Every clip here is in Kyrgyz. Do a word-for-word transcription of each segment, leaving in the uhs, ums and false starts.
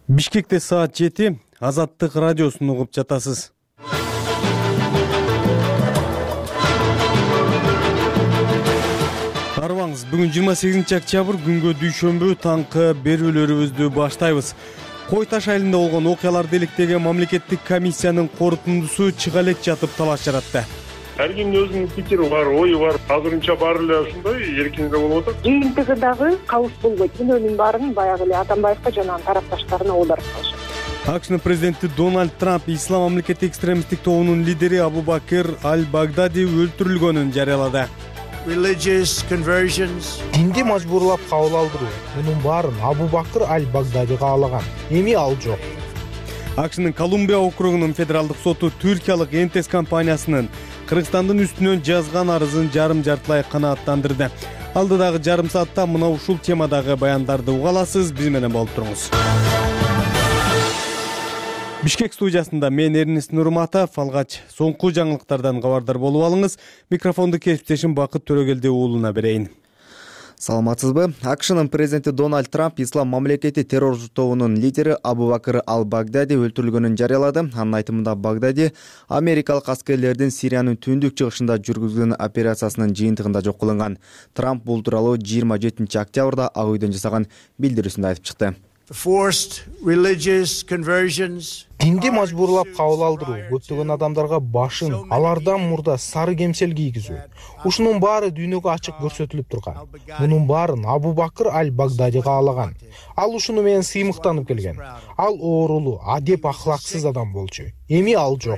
Бишкекте саат жети, Азаттык радиосун угуп жатасыз. Арыбаңыз, бүгүн жыйырма сегизинчи октябрь күнгө дүйшөмбү таңкы берүүлөрүбүздү баштайбыз. Кой Таш айылында болгон окуяларды иликтеген мамлекеттик комиссиянын корутундусу чыга элек жатып талаш жаратты. Ар кимдин өзүнүн пикири бар, ою бар. Азырынча баары эле ушундай эркиндүү болуп атат. Жыйынтыгы дагы кабыл болбойт. Күнөөнүн баарын баягы эле Атамбаевка жана анын тарапташтарына оодарып калышат. АКШнын президенти Дональд Трамп ислам мамлекети экстремисттик тобунун лидери Абу Бакр аль-Багдади өлтүрүлгөнүн жарыялады. Динди мажбурлап кабыл алдыруу. Мунун баарын Абу Бакр аль-Багдади каалаган. Эми ал жок. АКШнын Колумбия округунун федералдык соту түркиялык Энтес компаниясынын Кыргызстандын үстүнөн жазган арызын жарым жартылай канааттандырды. Алдыдагы жарым саатта мына ушул темадагы баяндарды уга аласыз. Биз менен болуп туруңуз. Бишкек студиясында мен Эрнест Нурматов, алгач соңку жаңылыктардан кабардар болуп алыңыз. Микрофонду кесиптешим Бакыт Төрөгелди уулуна берейин. Саламатсызбы? АКШнын президенти Дональд Трамп ислам мамлекети террорчу тобунун лидери Абу Бакр аль-Багдади өлтүрүлгөнүн жарыялады. Анын айтымында Багдади америкалык аскерлердин Сириянын түндүк чыгышында жүргүзгөн операциясынын жыйынтыгында жок кылынган. Трамп бул тууралуу жыйырма жетинчи октябрда Ак үйдөн жасаган билдирүүсүндө айтып чыкты. Динди мажбурлап кабыл алдыруу, көптөгөн адамдарга башын, алардан мурда сары кемсел кийгизүү. Ушунун баары дүйнөгө ачык көрсөтүлүп турган. Мунун баарын Абу Бакр аль-Багдади каалаган. Ал ушуну менен сыймыктанып келген. Ал оорулуу, адеп ахлаксыз адам болчу. Эми ал жок.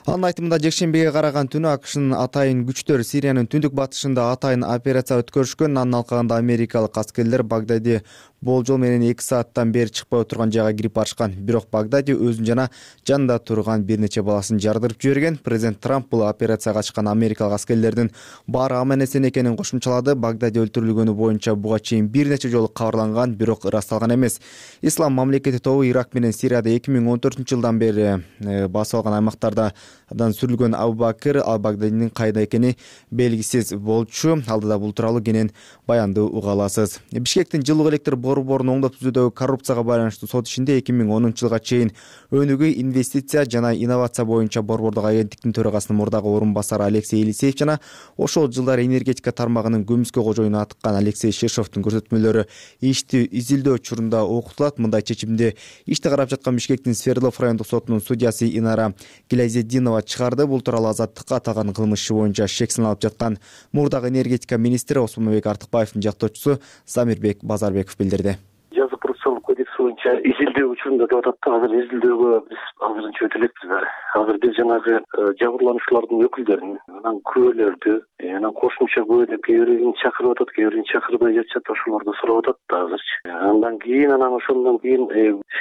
Анын айтымында жекшембиге караган түнү АКШнын атайын күчтөр Сириянын түндүк батышында атайын операция өткөрүшкөн. Анын алкагында америкалык аскерлер Багдади болжол менен эки сааттан бери чыкпай отурган жайга кирип барышкан. Бирок Багдади өзүн жана жанында турган бир нече баласын жардырып жиберген. Президент Трамп бул операцияга чыккан америкалык аскерлердин баары аман-эсен экенин кошумчалады. Багдади өлтүрүлгөнү боюнча буга чейин бир нече жолу кабарланган, бирок ырасталган эмес. Ислам мамлекети тобу Ирак менен Сирияда эки миң он төртүнчү жылдан бери басып алган аймактарда дан сүрүлгөн Абу Бакр аль-Багдадинин кайда экени белгисиз болчу. Алдыда бул тууралуу кенен баянды уга аласыз. Бишкектин жылуу электр борборун оңдоп түзүүдөгү коррупцияга байланыштуу сот ишинде эки миң онунчу жылга чейин өнүгүү инвестиция жана инновация боюнча борбордук агенттиктин төрагасынын мурдагы орун басары Алексей Елисеев жана ошол жылдары энергетика тармагынын көмүскө кожоюну атыккан Алексей Шишовдун көрсөтмөлөрү ишти изилдөө учурунда окутулат. Мындай чечимди ишти карап жаткан Бишкектин Свердлов райондук сотунун судьясы Инара Гилязетдинова чыгарды. Бул тууралуу Азаттыкка аталган кылмыш иши боюнча шек саналып жаткан мурдагы энергетика министри Осмонбек Артыкбаевдин жактоочусу Замирбек Базарбеков билдирди. Жаза процессуалдык кодекс боюнча изилдөө учурунда деп атат да. Азыр изилдөөгө биз азырынча өтө элекпиз дагы. Азыр биз жанагы жабырлануучулардын өкүлдөрүн, анан күбөлөрдү, анан кошумча күбө деп кээ бирин чакырып атат, кээ бирин чакырбай жатышат, ошолорду сурап атат да азырчы. Андан кийин анан ошондон кийин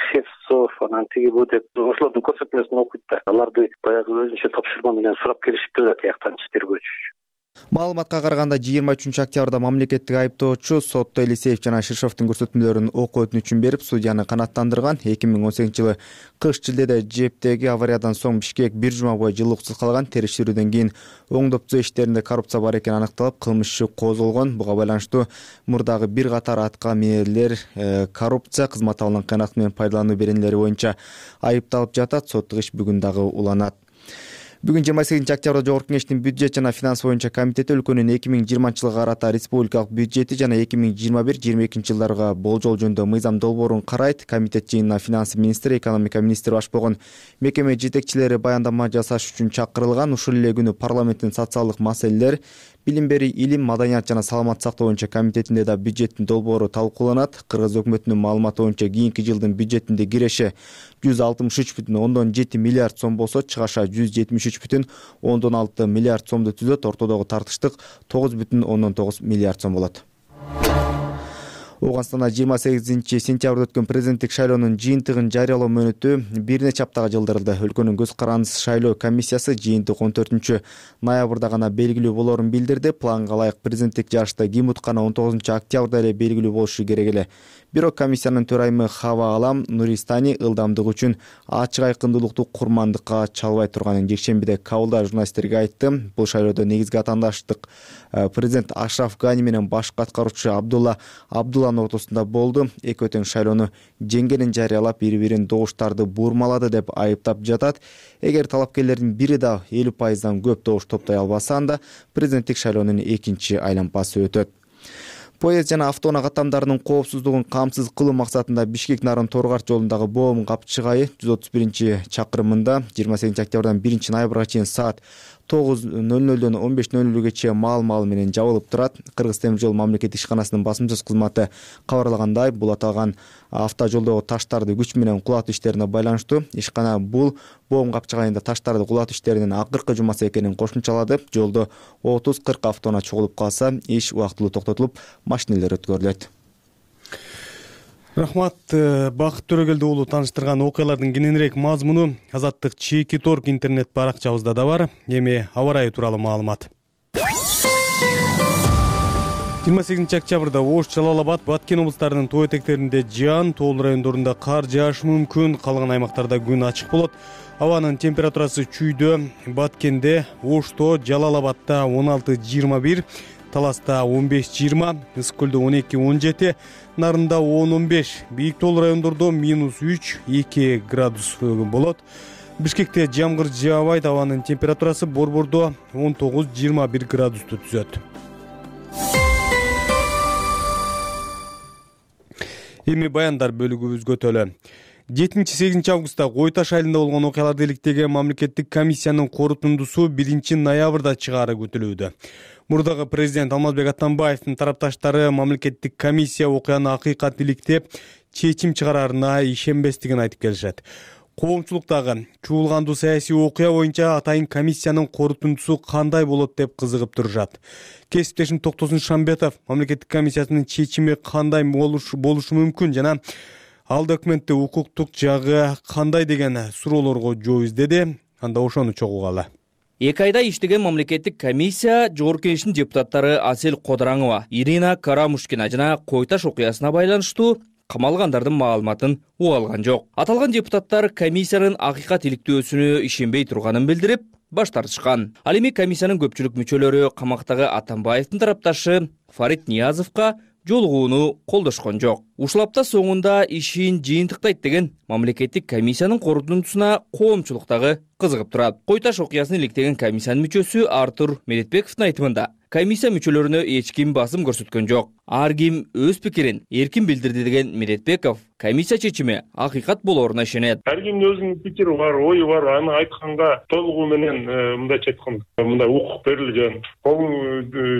Шевцов, анан тиги бу деп ошолордун көрсөтмөсүн окуйт да. Аларды баягы өзүнчө тапшырма менен сурап келишиптир да тияктанчы тергөөчү. Маалыматка караганда жыйырма үчүнчү октябрда мамлекеттик айыптоочу сотто Елисеев жана Шишовдун көрсөтмөлөрүн окуу өтүнүчүн берип, судьяны канааттандырган. эки миң он сегизинчи жылы кыш шилдеде Жептеги авариядан соң Бишкек бир жума бою жылууксуз калган. Териштирүүдөн кийин оңдоп түзөө иштеринде коррупция бар экени аныкталып, кылмыш иши козголгон. Буга байланыштуу мурдагы бир катар атка минерлер коррупция, кызмат абалынан кыянат менен пайдалануу беренелери боюнча айыпталып жатат. Соттук иш бүгүн дагы уланат. Бүгүн жыйырма сегизинчи октябрда Жогорку Кеңештин бюджет жана финанс боюнча комитети өлкөнүн эки миң жыйырманчы жылга карата республикалык бюджети жана эки миң жыйырма бир жыйырма экинчи жылдарга болжол жөнүндө мыйзам долбоорун карайт. Комитет жыйынына финанс министри, экономика министри баш болгон мекеме жетекчилери баяндама жасаш үчүн чакырылган. Ушул эле күнү парламенттин социалдык маселелер, билим берүү, илим, маданият жана саламат сактоо боюнча комитетинде да бюджеттин долбоору талкууланат. Кыргыз өкмөтүнүн маалыматы боюнча кийинки жылдын бюджетинде киреше жүз алтымыш үч бүтүн ондон жети миллиард сом болсо, чыгаша жүз жетимиш үч бүтүн ондон алты миллиард сомду түзөт. Ортодогу тартыштык тогуз бүтүн ондон тогуз миллиард сом болот. Ооганстанда жыйырма сегизинчи сентябрда өткөн президенттик шайлоонун жыйынтыгын жарыялоо мөөнөтү бир нече аптага жылдырылды. Өлкөнүн көз карандысыз шайлоо комиссиясы жыйынтык он төртүнчү ноябрда гана белгилүү болоорун билдирди. Планга ылайык президенттик жарышта ким утканы он тогузунчу октябрда эле белгилүү болушу керек эле. Бирок комиссиянын төрайымы Хава Алам Нуристани ылдамдык үчүн ачык айкындуулукту курмандыкка чалбай турганын жекшембиде Кабылда журналисттерге айтты. Бул шайлоодо негизги атаандаштык президент Ашраф Гани менен башкы аткаруучу Абдулла Абдулла талаанын ортосунда болду. Эки тең шайлоону жеңгенин жарыялап, бири-бирин добуштарды бурмалады деп айыптап жатат. Эгер талапкерлердин бири да элүү пайыздан көп добуш топтой албаса, анда президенттик шайлоонун экинчи айланпасы өтөт. Поезд жана автоунаа каттамдарынын коопсуздугун камсыз кылуу максатында Бишкек Нарын Торгарт жолундагы боом капчыгайы жүз отуз биринчи чакырымында жыйырма сегизинчи октябрдан биринчи ноябрга чейин саат тогуз ноль нолдон он беш ноль нөлгө маал-маал менен жабылып турат. Кыргыз темир жол мамлекеттик ишканасынын басмачы кызматы кабарлагандай, бул аталган автожолдогу таштарды күч менен кулатуу иштерине байланыштуу. Ишкана бул боом капчыгайында таштарды кулатуу иштеринин акыркы жумасы экенин кошумчалады. Жолдо отуз кырк автоунаа чогулуп калса, иш убактылуу токтотулуп, машиналар өткөрүлөт. Рахмат, Бакыт Төрөгелди уулу тааныштырган окуялардын кененирээк мазмуну Азаттык Чеки Торг интернет баракчабызда да бар. Эми аба ырайы тууралуу маалымат. жыйырма сегизинчи октябрда Ош, Жалал Абад, Баткен облустарынын тоо этектеринде жаан, тоол райондорунда кар жаашы мүмкүн. Калган аймактарда күн ачык болот. Абанын температурасы чүйдө. Баткенде, Ошто, Жалал Абадда он алты жыйырма бир, Таласта он беш жыйырма, Ысык көлдө он эки он жети, Нарында он он беш, бийик тоол райондордо минус үч эки градус болот. Бишкекте жамгыр жаабайт, абанын температурасы Борбордо он тогуз жыйырма бир градусту түзөт. Эми баяндар бөлүгүбүзгө төлө. жетинчи сегизинчи августта Кой Таш айылында болгон окуяларды иликтеген мамлекеттик комиссиянын корутундусу биринчи ноябрда чыгаары күтүлүүдө. Мурдагы президент Алмазбек Атамбаевдин тарапташтары мамлекеттик комиссия окуяны акыйкат иликтеп, чечим чыгарарына ишенбестигин айтып келишет. Коомчулуктагы чуулгандуу саясий окуя боюнча атайын комиссиянын корутундусу кандай болот деп кызыгып турушат. Кесиптешим Токтосун Шамбетов мамлекеттик комиссиясынын чечими кандай болушу мүмкүн жана ал документте укуктук жагы кандай деген суроолорго жооп издеди. Анда ошону чогугалы. Эки айда иштеген мамлекеттик комиссия Жогорку Кеңештин депутаттары Асел Кодораңова, Ирина Карамушкина жана Кой Таш окуясына байланыштуу камалгандардын маалыматын уга алган жок. Аталган депутаттар комиссиянын акыйкат иликтөөсүнө ишенбей турганын билдирип, баш тартышкан. Ал эми комиссиянын көпчүлүк мүчөлөрү камактагы Атамбаевдин тарапташы Фарид Ниязовго жолугууну колдошкон жок. Ушул апта соңунда ишин жыйынтыктайт деген мамлекеттик комиссиянын корутундусуна коомчулуктагы кызыгып турат. Кой Таш окуясын иликтеген комиссиянын мүчөсү Артур Медетбековдун айтымында, комиссия мүчөлөрүнө эч ким басым көрсөткөн жок. Ар ким өз пикирин эркин билдирди деген Медетбеков комиссия чечими акыйкат болоруна ишенет. Ар кимдин өзүнүн пикири бар, ою бар, аны айтканга толугу менен мындайча айтканда, мындай укук берилген. Бул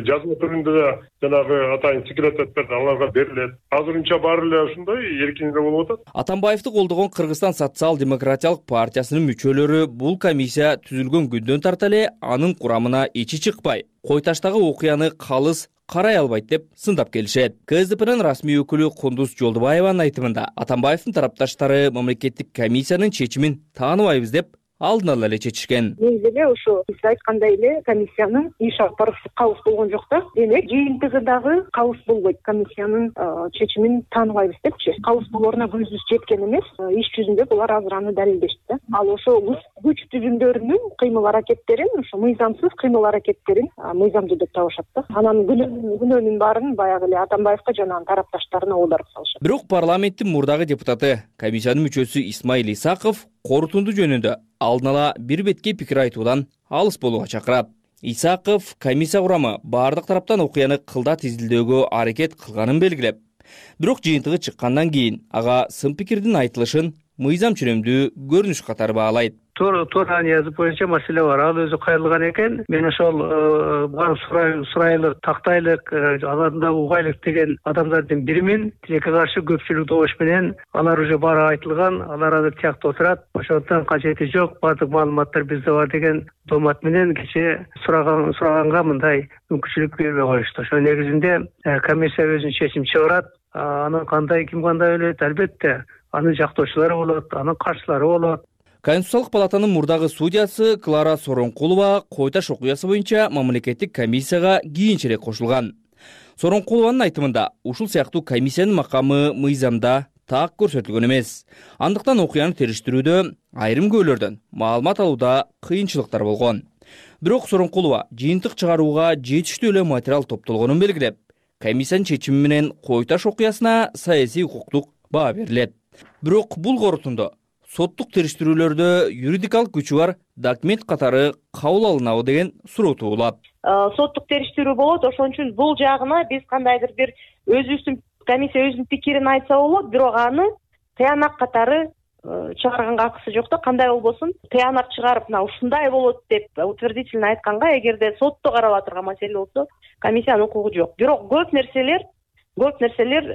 жазма түрүндө да жанагы атайын секретаттар аларга берилет. Азырынча баары эле ушундай эркин эле болуп атат. Атамбаевди колдогон Кыргызстан социал-демократиялык партиясынын мүчөлөрү бул комиссия түзүлгөн күндөн тарта эле анын курамына ичи чыкпай, Кой Таштагы окуяны калыс карай албайт деп сындап келишет. КСДПнын расмий өкүлү Кундуз Жолдубаеванын айтымында, Атамбаевдин тарапташтары мамлекеттик комиссиянын чечимин тааныбайбыз деп алдын ала эле чечишкен. Негизи эле ошо сиз айткандай эле комиссиянын иш алып баруусу кабыз болгон жок да. Демек, жыйынтыгы дагы кабыз болбойт. Комиссиянын чечимин тааныбайбыз депчи. Кабыз болоруна көзүбүз жеткен эмес. Иш жүзүндө булар азыр аны далилдешти да. Ал ошо күч түзүмдөрүнүн кыймыл аракеттерин, ошо мыйзамсыз кыймыл аракеттерин мыйзамдуу деп табышат да. Анан күнөөнүн баарын баягы эле Атамбаевга жана анын тарапташтарына оодарып салышат. Бирок парламенттин мурдагы депутаты, комиссиянын мүчөсү Исмаил Исаков корутунду жөнүндө алдын ала бир бетке пикир айтуудан алыс болууга чакырат. Исаков комиссия курамы бардык тараптан окуяны кылдат изилдөөгө аракет кылганын белгилеп, бирок жыйынтыгы чыккандан кийин ага сын пикирдин айтылышын мыйзам чөнөмдүү көрүнүш катары баалайт. Туура туура язып боюнча маселе бар. Ал өзү кайрылган экен. Мен ошол барып сурайлык, тактайлык, аларда угайлык деген адамдардын биримин. Тилекке каршы көпчүлүк добуш менен алар уже баары айтылган, алар азыр тиякта отурат. Ошондон кажети жок, бардык маалыматтар бизде бар деген домат менен кече сураган сураганга мындай мүмкүнчүлүк бербей коюшту. Ошо негизинде комиссия өзүнүн чечим чыгарат. Анын кандай ким кандай ойлойт, албетте анын жактоочулары болот, анын каршылары болот. Конституциялык палатанын мурдагы судьясы Клара Соронкулова Кой Таш окуясы боюнча мамлекеттик комиссияга кийинчерээк кошулган. Соронкулованын айтымында, ушул сыяктуу комиссиянын макамы мыйзамда так көрсөтүлгөн эмес. Андыктан окуяны териштирүүдө айрым көөлөрдөн маалымат алууда кыйынчылыктар болгон. Бирок Соронкулова жыйынтык чыгарууга жетиштүү эле материал топтолгонун белгилеп, комиссиянын чечими менен Кой Таш окуясына саясий укуктук баа берилет. Бирок бул корутунду соттук териштирүүлөрдө юридикалык күчү бар документ катары кабыл алынабы деген суроо туулат. Соттук териштирүү болот, ошон үчүн бул жагына биз кандайдыр бир өзүбүздүн комиссия өзүнүн пикирин айтса болот, бирок аны тыянак катары чыгарганга акысы жок да, кандай болбосун тыянак чыгарып мына ушундай болот деп утвердительно айтканга, эгерде сотто карала турган маселе болсо комиссиянын укугу жок. Бирок көп нерселер көп нерселер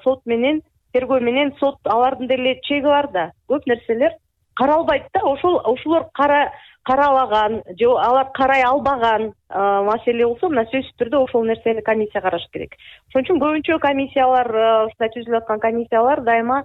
сот менен тергөө менен сот алардын деле чеги бар да. Көп нерселер каралбайт да. Ошол ошолор кара каралаган же алар карай албаган маселе болсо, мына сөзсүз түрдө ошол нерсени комиссия караш керек. Ошон үчүн көбүнчө комиссиялар, ушундай түзүлүп аткан комиссиялар дайыма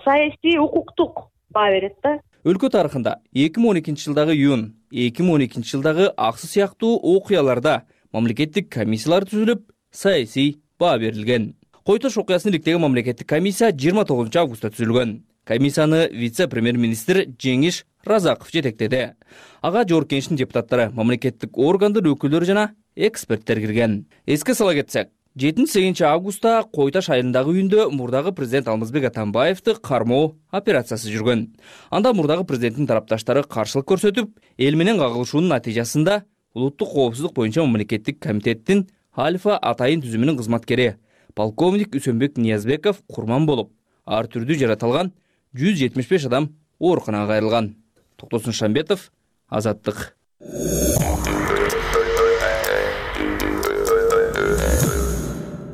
саясий укуктук баа берет да. Өлкө тарыхында эки миң он экинчи жылдагы июнь, эки миң он экинчи жылдагы аксы сыяктуу окуяларда мамлекеттик комиссиялар түзүлүп, саясий баа берилген. Кой Таш окуясын иликтеген мамлекеттик комиссия жыйырма тогузунчу августта түзүлгөн. Комиссияны вице-премьер-министр Жеңиш Разаков жетектеди. Ага Жогорку Кеңештин депутаттары, мамлекеттик органдын өкүлдөрү жана эксперттер кирген. Эске сала кетсек, жетинчи сегизинчи августта Кой Таш айылындагы үйүндө мурдагы президент Алмазбек Атамбаевди кармоо операциясы жүргөн. Анда мурдагы президенттин тарапташтары каршылык көрсөтүп, эл менен кагылышуунун натыйжасында улуттук коопсуздук боюнча мамлекеттик комитеттин Альфа Атайын түзүмүнүн кызматкери полковник Үсөнбек Ниязбеков курман болуп, ар түрдүү жаратылган жүз жетимиш беш адам ооруканага кайрылган. Токтосун Шамбетов, Азаттык.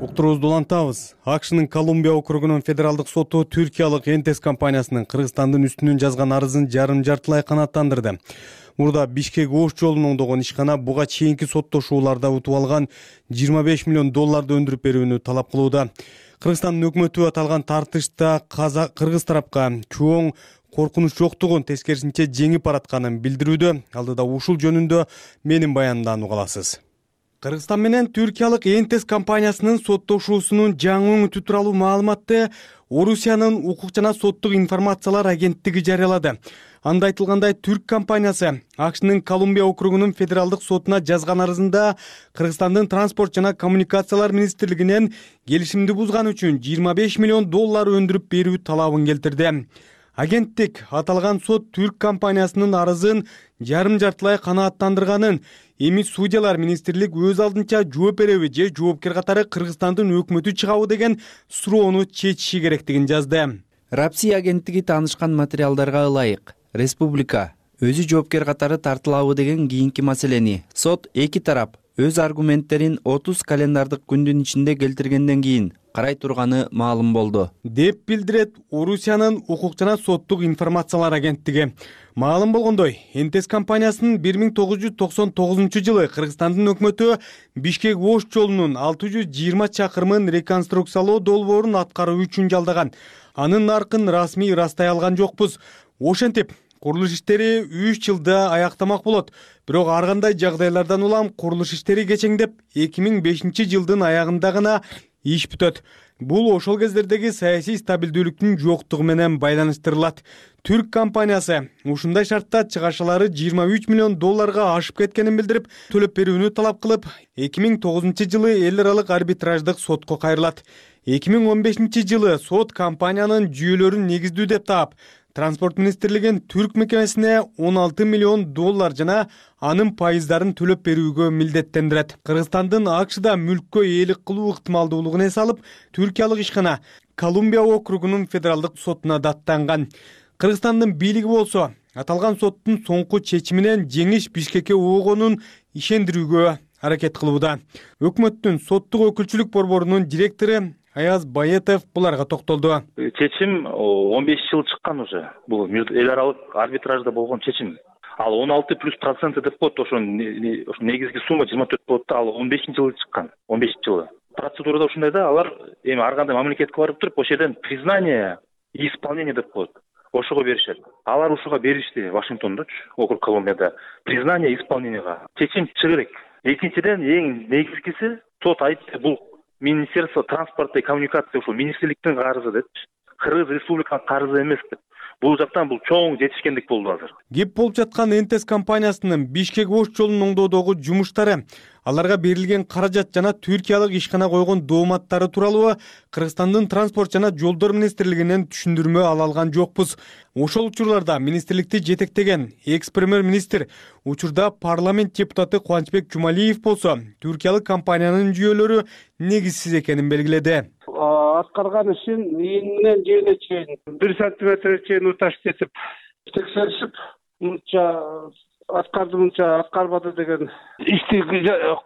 Уктуруубузду улантабыз. АКШнын Колумбия округунун федералдык соту Түркиялык Энтес компаниясынын Кыргызстандын үстүнөн жазган арызын жарым жартылай канааттандырды. Мурда Бишкек Ош жолунун оңдогон ишкана буга чейинки соттошууларда утуп алган жыйырма беш миллион долларды өндүрүп берүүнү талап кылууда. Кыргызстандын өкмөтү аталган тартышта кыргыз тарапка чоң коркунуч жоктугун, тескерисинче жеңип баратканын билдирүүдө. Алдыда ушул жөнүндө менин баянымдан уга аласыз. Кыргызстан менен Түркиялык Энтес компаниясынын соттошуусунун жаңы өңүтү тууралуу маалыматты Орусиянын укук жана соттук информациялар агенттиги жарыялады. Анда айтылгандай, түрк компаниясы АКШнын Колумбия округунун федералдык сотуна жазган арызында Кыргызстандын транспорт жана коммуникациялар министрлигинен келишимди бузган үчүн жыйырма беш миллион доллар өндүрүп берүү талабын келтирди. Агенттик аталган сот түрк компаниясынын арызын жарым жартылай канааттандырганын, эми судьялар министрлик өз алдынча жооп береби же жоопкер катары Кыргызстандын өкмөтү чыгабы деген суроону чечиши керектигин жазды. Рапси агенттиги таанышкан материалдарга ылайык республика өзү жоопкер катары тартылабы деген кийинки маселени сот эки тарап өз аргументтерин отуз календардык күндүн ичинде келтиргенден кийин карай турганы маалым болду, деп билдирет Орусиянын укук жана соттук информациялар агенттиги. Маалым болгондой, Энтес компаниясынын бир миң тогуз жүз токсон тогузунчу жылы Кыргызстандын өкмөтү Бишкек Ош жолунун алты жүз жыйырма чакырымын реконструкциялоо долбоорун аткаруу үчүн жалдаган. Анын наркын расмий ырастай алган жокпуз. Ошентип, курулуш иштери үч жылда аяктамак болот. Бирок ар кандай жагдайлардан улам курулуш иштери кечеңдеп эки миң бешинчи жылдын аягында гана иш бүтөт. Бул ошол кездердеги саясий стабилдүүлүктүн жоктугу менен байланыштырылат. Түрк компаниясы ушундай шартта чыгашалары жыйырма үч миллион долларга ашып кеткенин билдирип, төлөп берүүнү талап кылып, эки миң тогузунчу жылы эл аралык арбитраждык сотко кайрылат. эки миң он бешинчи жылы сот компаниянын жүйөлөрүн негиздүү деп таап, Транспорт министрлигин түрк мекемесине он алты миллион доллар жана анын пайыздарын төлөп берүүгө милдеттендирет. Кыргызстандын АКШда мүлккө ээлик кылуу ыктымалдуулугун эс алып, Түркиялык ишкана Колумбия округунун федералдык сотуна даттанган. Кыргызстандын бийлиги болсо, аталган соттун соңку чечиминен жеңиш Бишкекке оогонун ишендирүүгө аракет кылууда. Өкмөттүн соттук өкүлчүлүк борборунун директору Аяз Баетов буларга токтолду. Чечим он беш жыл чыккан уже. Бул эл аралык арбитражда болгон чечим. Ал он алты плюс проценты деп коет, ошо негизги сумма жыйырма төрт болот да, ал он бешинчи жылы чыккан. он бешинчи жылы. Процедурада ушундай да, алар эми ар кандай мамлекетке барып туруп, ошол жерден признание и исполнение деп коет. Ошого беришет. Алар ушуга беришти Вашингтондочу, округ Колумбияда. Признание и исполнениега. Чечим чыгы керек. Экинчиден эң негизгиси сот айтты, бул Министерство транспорта и коммуникации ушул министрликтин карызы деп, Кыргыз республиканын карызы эмес деп. Бул жактан бул чоң жетишкендик болду азыр. Кеп болуп жаткан Энтес компаниясынын Бишкек Ош жолунун оңдоодогу жумуштары аларга берилген каражат жана түркиялык ишкана койгон дооматтары тууралуу Кыргызстандын транспорт жана жолдор министрлигинен түшүндүрмө ала алган жокпуз. Ошол учурларда министрликти жетектеген экс-премьер-министр учурда парламент депутаты Кубанычбек Жумалиев болсо түркиялык компаниянын жүйөлөрү негизсиз экенин белгиледи. Аткарган ишин ийининен жээне чейин бир сантиметрге чейин уташып кетип текшеришип, мынча аткарды, мынча аткарбады деген ишти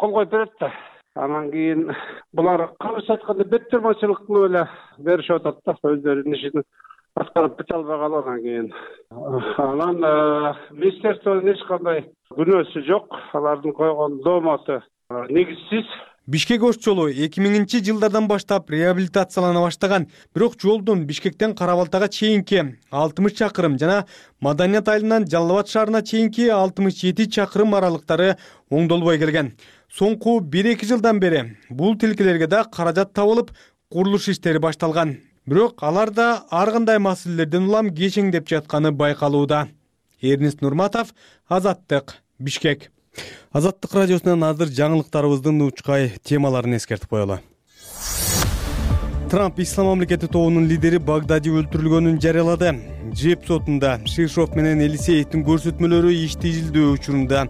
кол коюп берет да. Анан кийин булар кыргызча айтканда беттермачылык кылып эле беришип атат да, өздөрүнүн ишин аткарып бете албай калып анан кийин. Анан министрликтин эч кандай күнөөсү жок, алардын койгон дооматы негизсиз. Бишкек ош жолу эки миңинчи жылдардан баштап реабилитациялана баштаган, бирок жолдун Бишкектен Кара-Балтага чейинки алтымыш чакырым жана Маданият айылынан Жалал Абад шаарына чейинки алтымыш жети чакырым аралыктары оңдолбой келген. Соңку бир эки жылдан бери бул тилкелерге да каражат табылып, курулуш иштери башталган. Бирок алар да ар кандай маселелерден улам кечеңдеп жатканы байкалууда. Эрнест Нурматов, Азаттык, Бишкек. Азаттык радиосунан азыр жаңылыктарыбыздын учкай темаларын эскертип коелу. Трамп Ислам мамлекети тобунун лидери Багдади өлтүрүлгөнүн жарыялады. Жеп сотунда Шишов менен Элисеевдин көрсөтмөлөрү иштежилдөө учурунда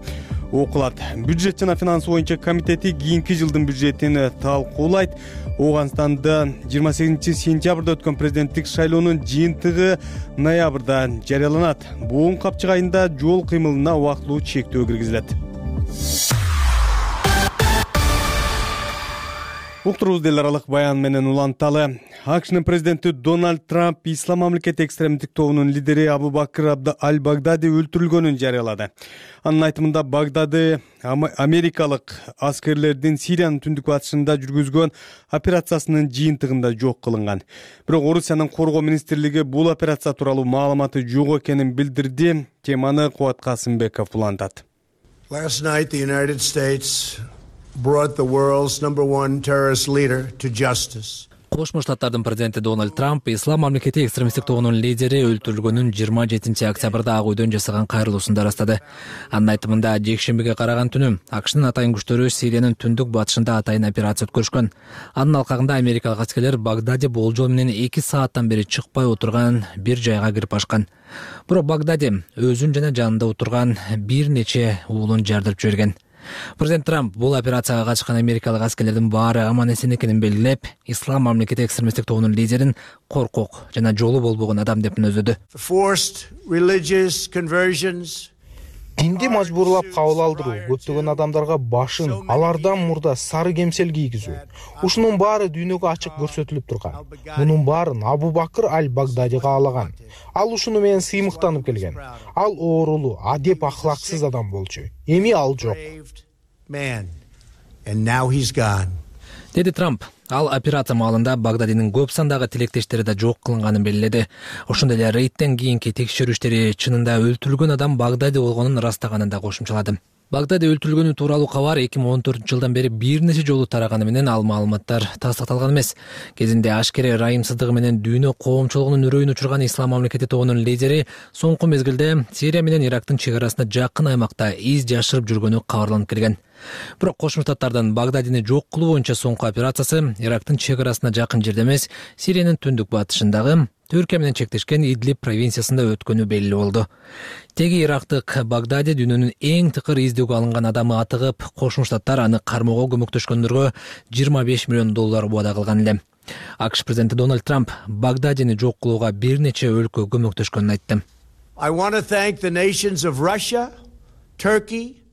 окулат. Бюджет жана финансы боюнча комитети кийинки жылдын бюджетин талкуулайт. Ооганстанда жыйырма сегизинчи сентябрда өткөн президенттик шайлоонун жыйынтыгы ноябрда жарыяланат. Буун капчык айында жол кыймылына убактылуу чектөө киргизилет. Уктурубуз эл аралык баян менен уланталы. АКШнын президенти Дональд Трамп Ислам мамлекети экстремдик тобунун лидери Абу Бакр аль-Багдади өлтүрүлгөнүн жарыялады. Анын айтымында Багдади америкалык аскерлердин Сириянын түндүк батышында жүргүзгөн операциясынын жыйынтыгында жок кылынган. Бирок Орусиянын коргоо министрлиги бул операция тууралуу маалыматы жок экенин билдирди. Теманы Кубат Касымбеков улантат. Last night, the United States brought the world's number one terrorist leader to justice. Кошмо Штаттардын президенти Дональд Трамп Ислам мамлекети экстремисттик тобунун лидери өлтүрүлгөнүн жыйырма жетинчи октябрда Ак үйдөн жасаган кайрылуусунда ырастады. Анын айтымында жекшембиге караган түнү АКШнын атайын күчтөрү Сириянын түндүк батышында атайын операция өткөрүшкөн. Анын алкагында америкалык аскерлер Багдади болжол менен эки сааттан бери чыкпай отурган бир жайга кирип ашкан. Бирок Багдади өзүн жана жанында отурган бир нече уулун жардырып жиберген. Президент Трамп бул операцияга катышкан америкалык аскерлердин баары аман эсен экенин белгилеп, Ислам мамлекети экстремисттик тобунун лидерин коркок жана жолу болбогон адам деп мүнөздөдү. Динди мажбурлап кабыл алдыруу, көптөгөн адамдарга башын, алардан мурда сары кемсел кийгизүү. Ушунун баары дүйнөгө ачык көрсөтүлүп турган. Мунун баарын Абу Бакр аль-Багдади каалаган. Ал ушуну менен сыймыктанып келген. Ал оорулуу, адеп ахлаксыз адам болчу. Эми ал жок. Деди Трамп. Ал операция маалында Багдадинин көп сандагы тилектештери да жок кылынганын белгиледи. Ошондой эле рейдтен кийинки текшерүү иштери чынында өлтүрүлгөн адам Багдади болгонун ырастаганын да кошумчалады. Багдади өлтүрүлгөнү тууралуу кабар эки миң он төртүнчү жылдан бери бир нече жолу тараганы менен ал маалыматтар тастыкталган эмес. Кезинде ашкере ырайымсыздыгы менен дүйнө коомчулугунун үрөйүн учурган Ислам мамлекети тобунун лидери соңку мезгилде Сирия менен Ирактын чек арасында жакын аймакта из жашырып жүргөнү кабарланып келген. Бирок Кошмо Штаттардын Багдадини жок кылуу боюнча соңку операциясы Ирактын чек арасына жакын жерде эмес, Сириянын түндүк батышындагы Түркия менен чектешкен Идлиб провинциясында өткөнү белгилүү болду. Теги ирактык Багдади дүйнөнүн эң тыкыр издөөгө алынган адамы атыгып, Кошмо Штаттар аны кармоого көмөктөшкөндөргө жыйырма беш миллион доллар убада кылган эле. АКШ президенти Дональд Трамп Багдадини жок кылууга бир нече өлкө көмөктөшкөнүн айтты. I want to thank the nations of Russia, Turkey,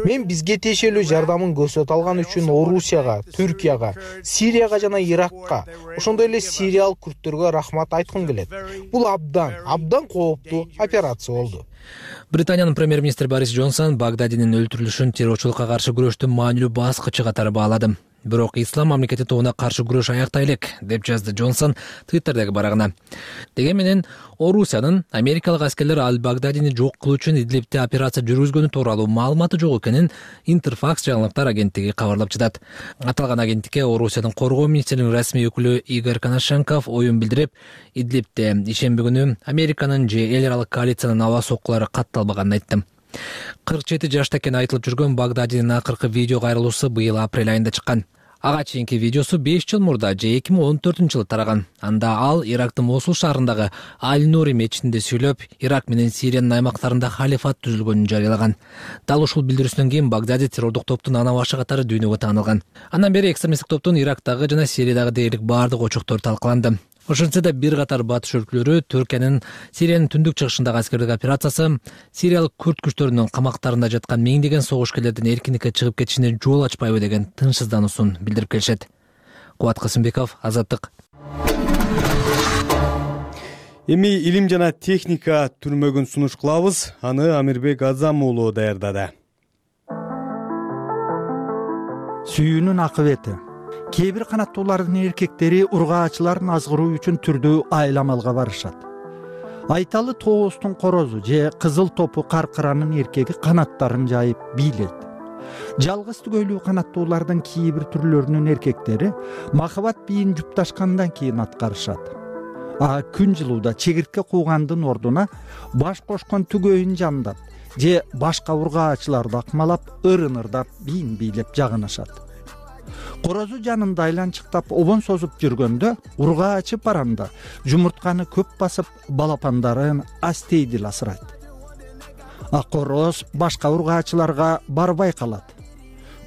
Мен бизге тиешелүү жардамын көрсөтө алган үчүн Орусияга, Түркияга, Сирияга жана Иракка, ошондой эле сириялык күрттөргө рахмат айткым келет. Бул абдан, абдан кооптуу операция болду. Британиянын премьер-министри Борис Джонсон Багдадинин өлтүрүлүшүн террорчулукка каршы күрөштүн маанилүү баскычы катары баалады. Бирок Ислам мамлекети тобуна каршы күрөш аяктай элек, деп жазды Джонсон Твиттердеги барагына. Деге менен Орусиянын америкалык аскерлер аль-Багдадини жок кылуу үчүн Идлибте операция жүргүзгөнү тууралуу маалыматы жок экенин Интерфакс жаңылыктар агенттиги кабарлап жатат. Аталган агенттикке Орусиянын коргоо министринин расмий өкүлү Игорь Коношенков оюн билдирип, Идлибте ишемби күнү Американын же эл аралык коалициянын аба соккулары катталбаганын айтты. кырк жети жашта экени айтылып жүргөн Багдадинин акыркы видео кайрылуусу быйыл апрель айында чыккан. Ага чейинки видеосу беш жыл мурда же эки миң он төртүнчү жылы тараган. Анда ал Ирактын Мосул шаарындагы Аль-Нури мечитинде сүйлөп, Ирак менен Сириянын аймактарында халифат түзүлгөнүн жарыялаган. Дал ушул билдирүүсүнөн кийин Багдади террордук топтун ана башы катары дүйнөгө таанылган. Андан бери экстремисттик топтун Ирактагы жана Сириядагы дээрлик баардык очоктору талкаланды. Ошентсе да бир катар батыш өлкөлөрү Түркиянын Сириянын түндүк чыгышындагы аскердик операциясы, сириялык күрд күчтөрүнүн камактарында жаткан миңдеген согушкерлердин эркиндикке чыгып кетишине жол ачпайбы деген тынчсыздануусун билдирип келишет. Кубат Касымбеков, Азаттык. Эми илим жана техника түрмөгүн сунуш кылабыз. Аны Амирбек Азам уулу даярдады. Сүйүүнүн акыбети. Кээ бир канаттуулардын эркектери ургаачыларын азгыруу үчүн түрдүү айламалга барышат. Айталы тоостун корозу же кызыл топу каркыранын эркеги канаттарын жайып бийлейт. Жалгыз түгөйлүү канаттуулардын кээ бир түрлөрүнүн эркектери махабат бийин жупташкандан кийин аткарышат. А күн жылууда чегиртке куугандын ордуна баш кошкон түгөйүн жамдап же башка ургаачыларды акмалап, ырын-ырдап бийин бийлеп жагынышат. Корозу жанында айланчыктап обон созуп жүргөндө ургаачы паранда жумуртканы көп басып балапандарын астейдил асырайт. А короз башка ургаачыларга барбай калат.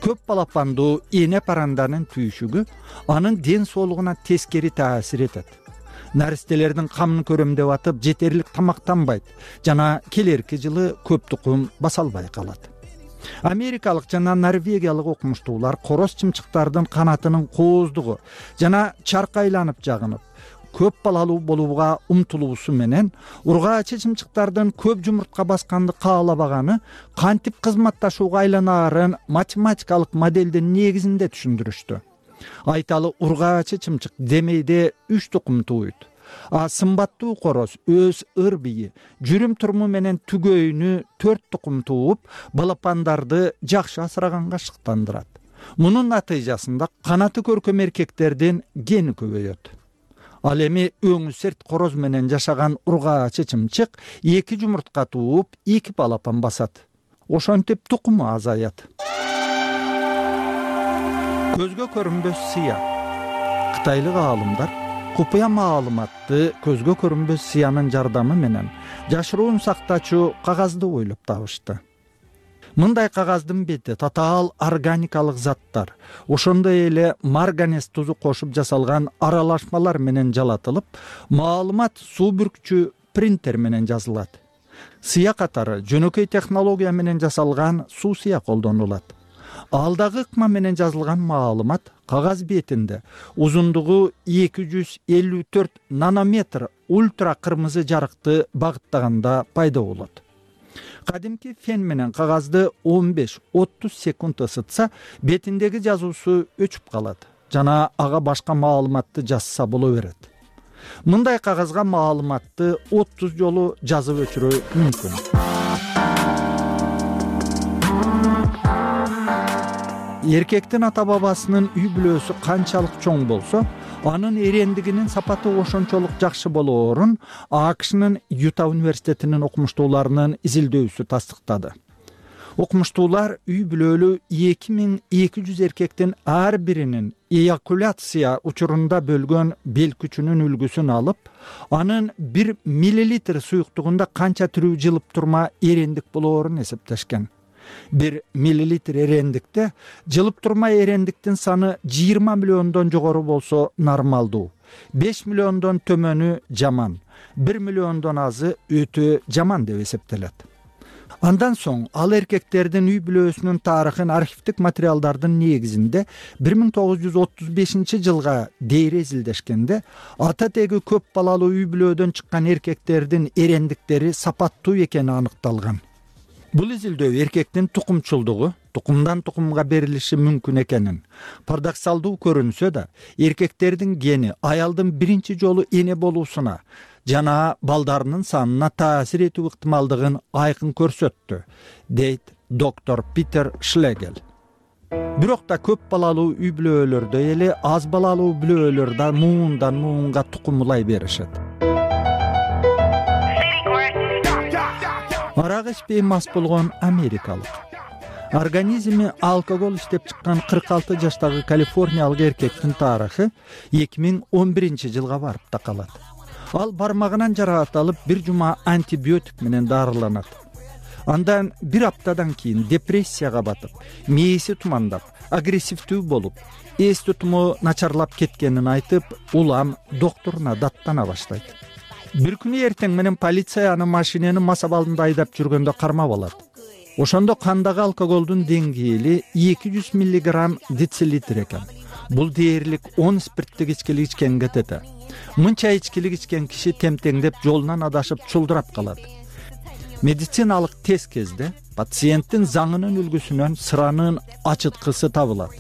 Көп балапандуу эне паранданын түйшүгү анын ден соолугуна тескери таасир этет. Наристелердин камын көрөмдөп атып жетерлик тамактанбайт жана келерки жылы көп тукум баса албай калат. Америкалык жана норвегиялык окумуштуулар короз чымчыктардын канатынын кооздугу жана чаркы айланып жагынып, көп балалуу болууга умтулуусу менен ургаачы чымчыктардын көп жумуртка басканды каалабаганы кантип кызматташууга айланаарын математикалык моделдин негизинде түшүндүрүштү. Айталы ургаачы чымчык демейде үч тукум тууйт. А сымбаттуу короз өз ыр бийи, жүрүм туруму менен түгөйүнү төрт тукум тууп, балапандарды жакшы асыраганга шыктандырат. Мунун натыйжасында канаты көркөм эркектердин гени көбөйөт. Ал эми өңү серт короз менен жашаган ургаачы чымчык эки жумуртка тууп, эки балапан басат. Ошентип тукуму азаят. Көзгө көрүнбөс сыя. Кытайлык аалымдар купуя маалыматты көзгө көрүнбөс сыянын жардамы менен жашыруун сактачу кагазды ойлоп табышты. Мындай кагаздын бети татаал органикалык заттар, ошондой эле марганез тузу кошуп жасалган аралашмалар менен жалатылып, маалымат суу бүркчү принтер менен жазылат. Сыя катары жөнөкөй технология менен жасалган суу сыя колдонулат. Алдагы ыкма менен жазылган маалымат кагаз бетинде узундугу эки жүз элүү төрт нанометр ультра кырмызы жарыкты багыттаганда пайда болот. Кадимки фен менен кагазды он беш отуз секунд ысытса, бетиндеги жазуусу өчүп калат жана ага башка маалыматты жазса боло берет. Мындай кагазга маалыматты отуз жолу жазып өчүрүү мүмкүн. Эркектин ата бабасынын үй бүлөсү канчалык чоң болсо, анын эрендигинин сапаты ошончолук жакшы болоорун АКШнын Юта университетинин окумуштууларынын изилдөөсү тастыктады. Окумуштуулар үй бүлөлүү эки миң эки жүз эркектин ар биринин эякуляция учурунда бөлгөн бел күчүнүн үлгүсүн алып, анын бир миллилитр суюктугунда канча тирүү жылып турма эрендик болоорун эсептешкен. Бир миллилитр эрендикте жылып турма эрендиктин саны жыйырма миллиондон жогору болсо нормалдуу, беш миллиондон төмөнү жаман, бир миллиондон азы өтө жаман деп эсептелет. Андан соң ал эркектердин үй бүлөсүнүн тарыхын архивдик материалдардын негизинде бир миң тогуз жүз отуз бешинчи жылга дейре изилдешкенде ата теги көп балалуу үй бүлөдөн чыккан эркектердин эрендиктери сапаттуу экени аныкталган. Бул изилдөө эркектин тукумчулдугу, тукумдан тукумга берилиши мүмкүн экенин, парадоксалдуу көрүнсө да, эркектердин гени аялдын биринчи жолу эне болуусуна жана балдарынын санына таасир этүү ыктымалдыгын айкын көрсөттү, дейт доктор Питер Шлегел. Бирок да көп балалуу үй бүлөлөрдө эле аз балалуу бүлөлөр да муундан муунга тукумулай беришет. арак ичпей мас болгон америкалык. Организми алкоголь иштеп чыккан кырк алты жаштагы калифорниялык эркектин тарыхы эки миң он биринчи жылга барып такалат. Ал бармагынан жараат алып бир жума антибиотик менен дарыланат. Андан бир аптадан кийин депрессияга батып, мээси тумандап, агрессивдүү болуп, эс тутуму начарлап кеткенин айтып, улам доктуруна даттана баштайт. Бир күнү эртең менен полиция аны машинени мас абалында айдап жүргөндө кармап алат. Ошондо кандагы алкоголдун деңгээли эки жүз миллиграмм децилитр экен. Бул дээрлик он спирттик ичкилик ичкенге тете. Мынча ичкилик ичкен киши темтеңдеп жолунан адашып чулдурап калат. Медициналык тест кезде пациенттин заңынын үлгүсүнөн сыранын ачыткысы табылат.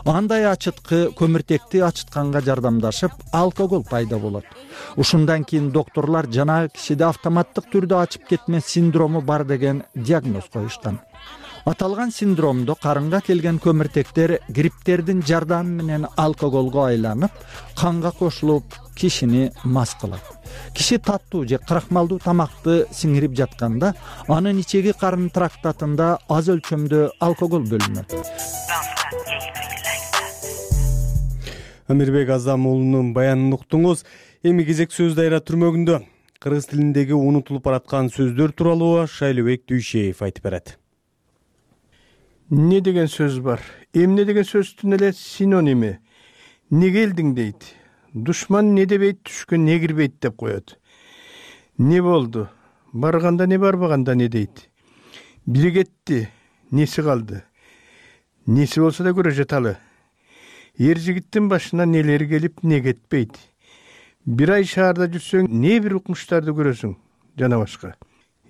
Андай ачыткы көмүртекти ачытканга жардамдашып, алкогол пайда болот. Ушундан кийин доктурлар жанагы кишиде автоматтык түрдө ачып кетме синдрому бар деген диагноз коюшкан. Аталган синдромдо карынга келген көмүртектер грипптердин жардамы менен алкоголго айланып, канга кошулуп, кишини мас кылат. Киши таттуу же крахмалдуу тамакты сиңирип жатканда, анын ичеги карын трактатында аз өлчөмдө алкоголь бөлүнөт. Амирбек Азам уулунун баянын уктуңуз. Эми кезек сөз дайра түрмөгүндө. Кыргыз тилиндеги унутулуп бараткан сөздөр тууралуу Шайлыбек Дүйшеев айтып берет. Не деген сөз бар? Эмне деген сөздүн эле синоними. Не келдиң дейт. Душман не дебейт, түшкөн не кирбейт деп коет. Не болду? Барганда не, барбаганда не дейт. Бири кетти, неси калды. Неси болсо да көрө жаталы. Эр жигиттин башына нелер келип, не кетпейт. Бир ай шаарда жүрсөң, не бир укмуштарды көрөсүң, жана башка.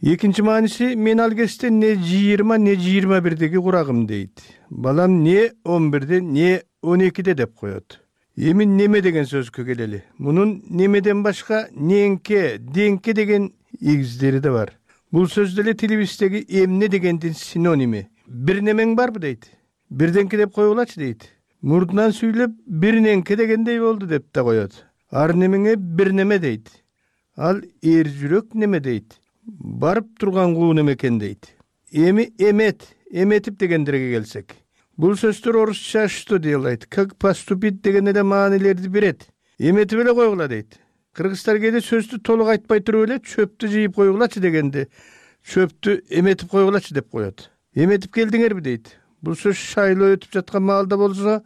Экинчи мааниси, мен ал кезде не жыйырма, не жыйырма бирдеги курагым дейт. Балам не он бирде, не он экиде деп коет. Эми неме деген сөзгө келели. Мунун немеден башка неңке, деңке деген игиздери да бар. Бул сөз деле тилибиздеги эмне дегендин синоними. Бир немең барбы дейт. Бирденке деп койгулачы дейт. Мурдунан сүйлөп бир неңке дегендей болду деп да коет. Ар немеңе бир неме дейт. Ал эр жүрөк неме дейт. Барып турган куу неме экен дейт. Эми эмет, эметип дегендерге келсек. Бул сөздөр орусча что делает, как поступить деген эле маанилерди берет. Эметип эле койгула дейт. Кыргыздар кээде сөздү толук айтпай туруп эле чөптү жыйып койгулачы дегенде, чөптү эметип койгулачы деп коет. Эметип келдиңерби дейт. Бул сөз шайлоо өтүп жаткан маалда болсо,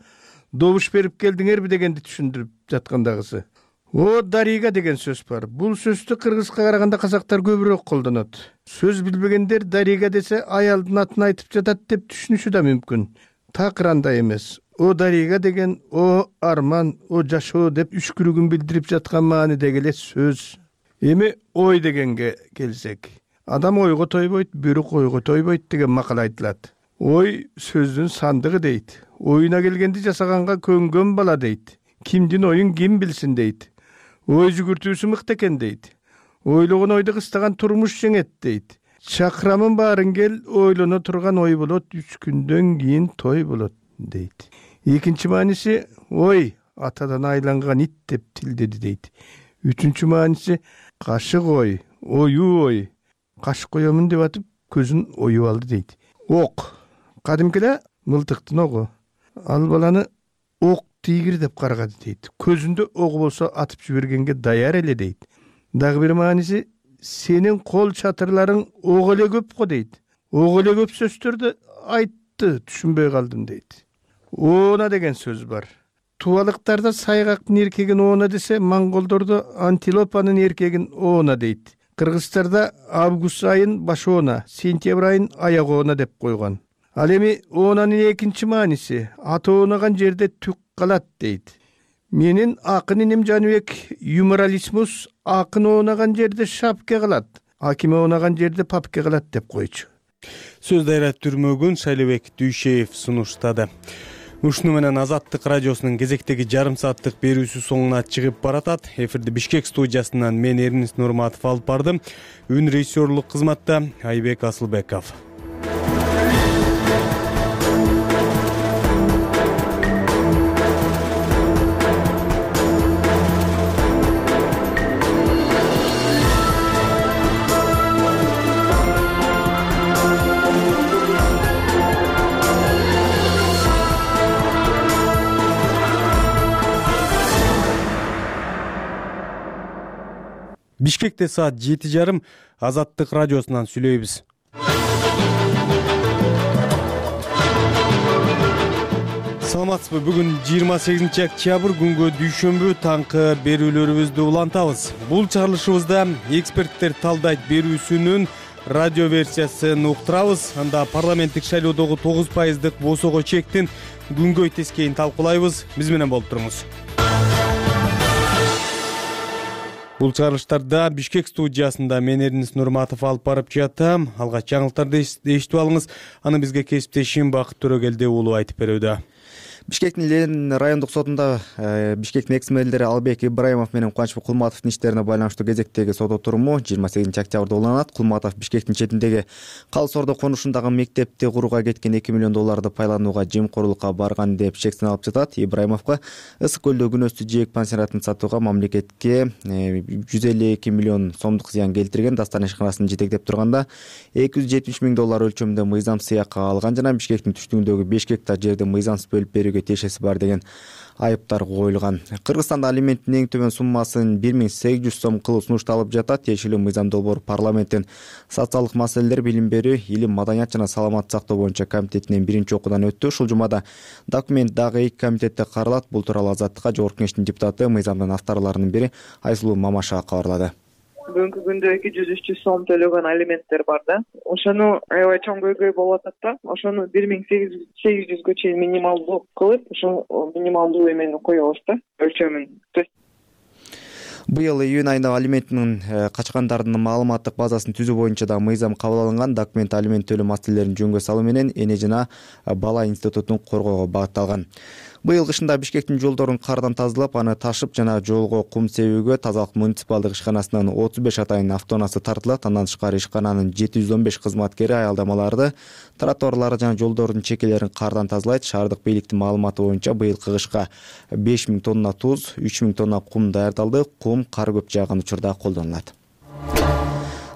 добуш берип келдиңерби дегенди түшүндүрүп жаткандагысы. О, дарига деген сөз бар. Бул сөздү кыргызга караганда казактар көбүрөөк колдонот. Сөз билбегендер дарига десе аялдын атын айтып жатат деп түшүнүшү да мүмкүн. Так андай эмес. О дарига деген о арман, о жашоо деп үшкүрүгүн билдирип жаткан маанидеги эле сөз. Эми ой дегенге келсек, адам ойго тойбойт, бөрүк ойго тойбойт деген макал айтылат. Ой сөздүн сандыгы дейт. Оюна келгенди жасаганга көнгөн бала дейт. Кимдин оюн ким билсин дейт. Ой жүгүртүүсү мыкты экен дейт. Ойлогон ойду кыстаган турмуш жеңет дейт. Чакырамын баарын кел, ойлоно турган ой болот, үч күндөн кийин той болот дейт. Экинчи мааниси, ой атадан айланган ит деп тилдеди дейт. Үчүнчү мааниси, кашык ой, оюу ой. Кашык коёмун деп атып, көзүн оюп алды дейт. Ок. Кадимкиде мылтыктын огу. Ал баланы ок тигир деп каргады дейт. Көзүндө огу болсо атып жибергенге даяр эле дейт. Дагы бир мааниси, сенин кол чатырларың ок эле көп го дейт. Ок эле көп сөздөрдү айтты, түшүнбөй калдым дейт. Оона деген сөз бар. Тубалыктарда сайгактын эркегин оона десе, монголдордо антилопанын эркегин оона дейт. Кыргыздарда август айын баш оона, сентябрь айын аяк оона деп койгон. Ал эми оонанын экинчи мааниси, аты оонаган жерде түк калат дейт. Менин акын иним Жаныбек юморалисмус акын оонаган жерде шапке калат, акиме оонаган жерде папке калат деп койчу. Сөз дайра түрмөгүн Шайлыбек Дүйшеев сунуштады. Ушуну менен Азаттык радиосунун кезектеги жарым сааттык берүүсү соңуна чыгып баратат. Эфирди Бишкек студиясынан мен Эрнис Нурматов алып бардым. Үн режиссерлук кызматта Айбек Асылбеков. Бишкекте саат жети жарым. Азаттык радиосунан сүйлөйбүз. Саламатсызбы? Бүгүн жыйырма сегизинчи октябрь күнгө дүйшөмбү таңкы берүүлөрүбүздү улантабыз. Бул чыгарылышыбызда эксперттер талдайт берүүсүнүн радио версиясын уктурабыз. Анда парламенттик шайлоодогу тогуз пайыздык босого чектин күнгөй тескейин талкуулайбыз. Биз менен болуп туруңуз. Бул чыгарылыштарда Бишкек студиясында мен Эрнис Нурматов алып барып жатам. Алгач жаңылыктарды эшитип алыңыз. Аны бизге кесиптешим Бакыт Төрөгелди уулу айтып берүүдө. Бишкектин Ленин райондук сотунда Бишкектин экс-мэрилери Албек Ибраимов менен Кубанычбек Кулматовдун иштерине байланыштуу кезектеги сот отуруму жыйырма сегизинчи октябрда уланат. Кулматов Бишкектин четиндеги Калыс Ордо конушундагы мектепти курууга кеткен эки миллион долларды пайланууга жемкорлукка барган деп шектен алып жатат. Ибраимовго Ысык көлдө күнөстүү жээк пансионатын сатууга мамлекетке жүз элүү эки миллион сомдук зыян келтирген. Дастан ишканасын жетектеп турганда эки жүз жетимиш миң доллар өлчөмүндө мыйзам сыякка алган жана Бишкектин түштүгүндөгү беш гектар жерди мыйзамсыз бөлүп берүүгө тиешеси бар деген айыптар коюлган. Кыргызстанда алименттин эң төмөн суммасын бир миң сегиз жүз сом кылуу сунушталып жатат. Тиешелүү мыйзам долбоор парламенттин социалдык маселелер, билим берүү, илим, маданият жана саламаттык сактоо боюнча комитетинен биринчи окуудан өттү. Ушул жумада документ дагы эки комитетте каралат. Бул тууралуу Азаттыкка Жогорку Кеңештин депутаты, мыйзамдын авторлорунун бири Айсулуу Мамашева кабарлады. Бүгүнкү күндө эки жүз үч жүз сом төлөгөн алименттер бар да. Ошону аябай чоң көйгөй болуп атат да. Ошону бир миң сегиз жүзгө чейин минималдуу кылып, ошол минималдуу эмени коебуз да, өлчөмүн. Быйыл июнь айында алименттин качкандардын маалыматтык базасын түзүү боюнча да мыйзам кабыл алынган. Документ алимент төлөө маселелерин жөнгө салуу менен эне жана бала институтун коргоого багытталган. Быйыл кышында Бишкектин жолдорун кардан тазалап, аны ташып жана жолго кум себүүгө тазалык муниципалдык ишканасынын отуз беш атайын автоунаасы тартылат. Андан тышкары ишкананын жети жүз он беш кызматкери аялдамаларды, тротуарларды жана жолдордун чекелерин кардан тазалайт. Шаардык бийликтин маалыматы боюнча быйыл кышка беш миң тонна туз, үч миң тонна кум даярдалды. Кум кар көп жааган учурда колдонулат.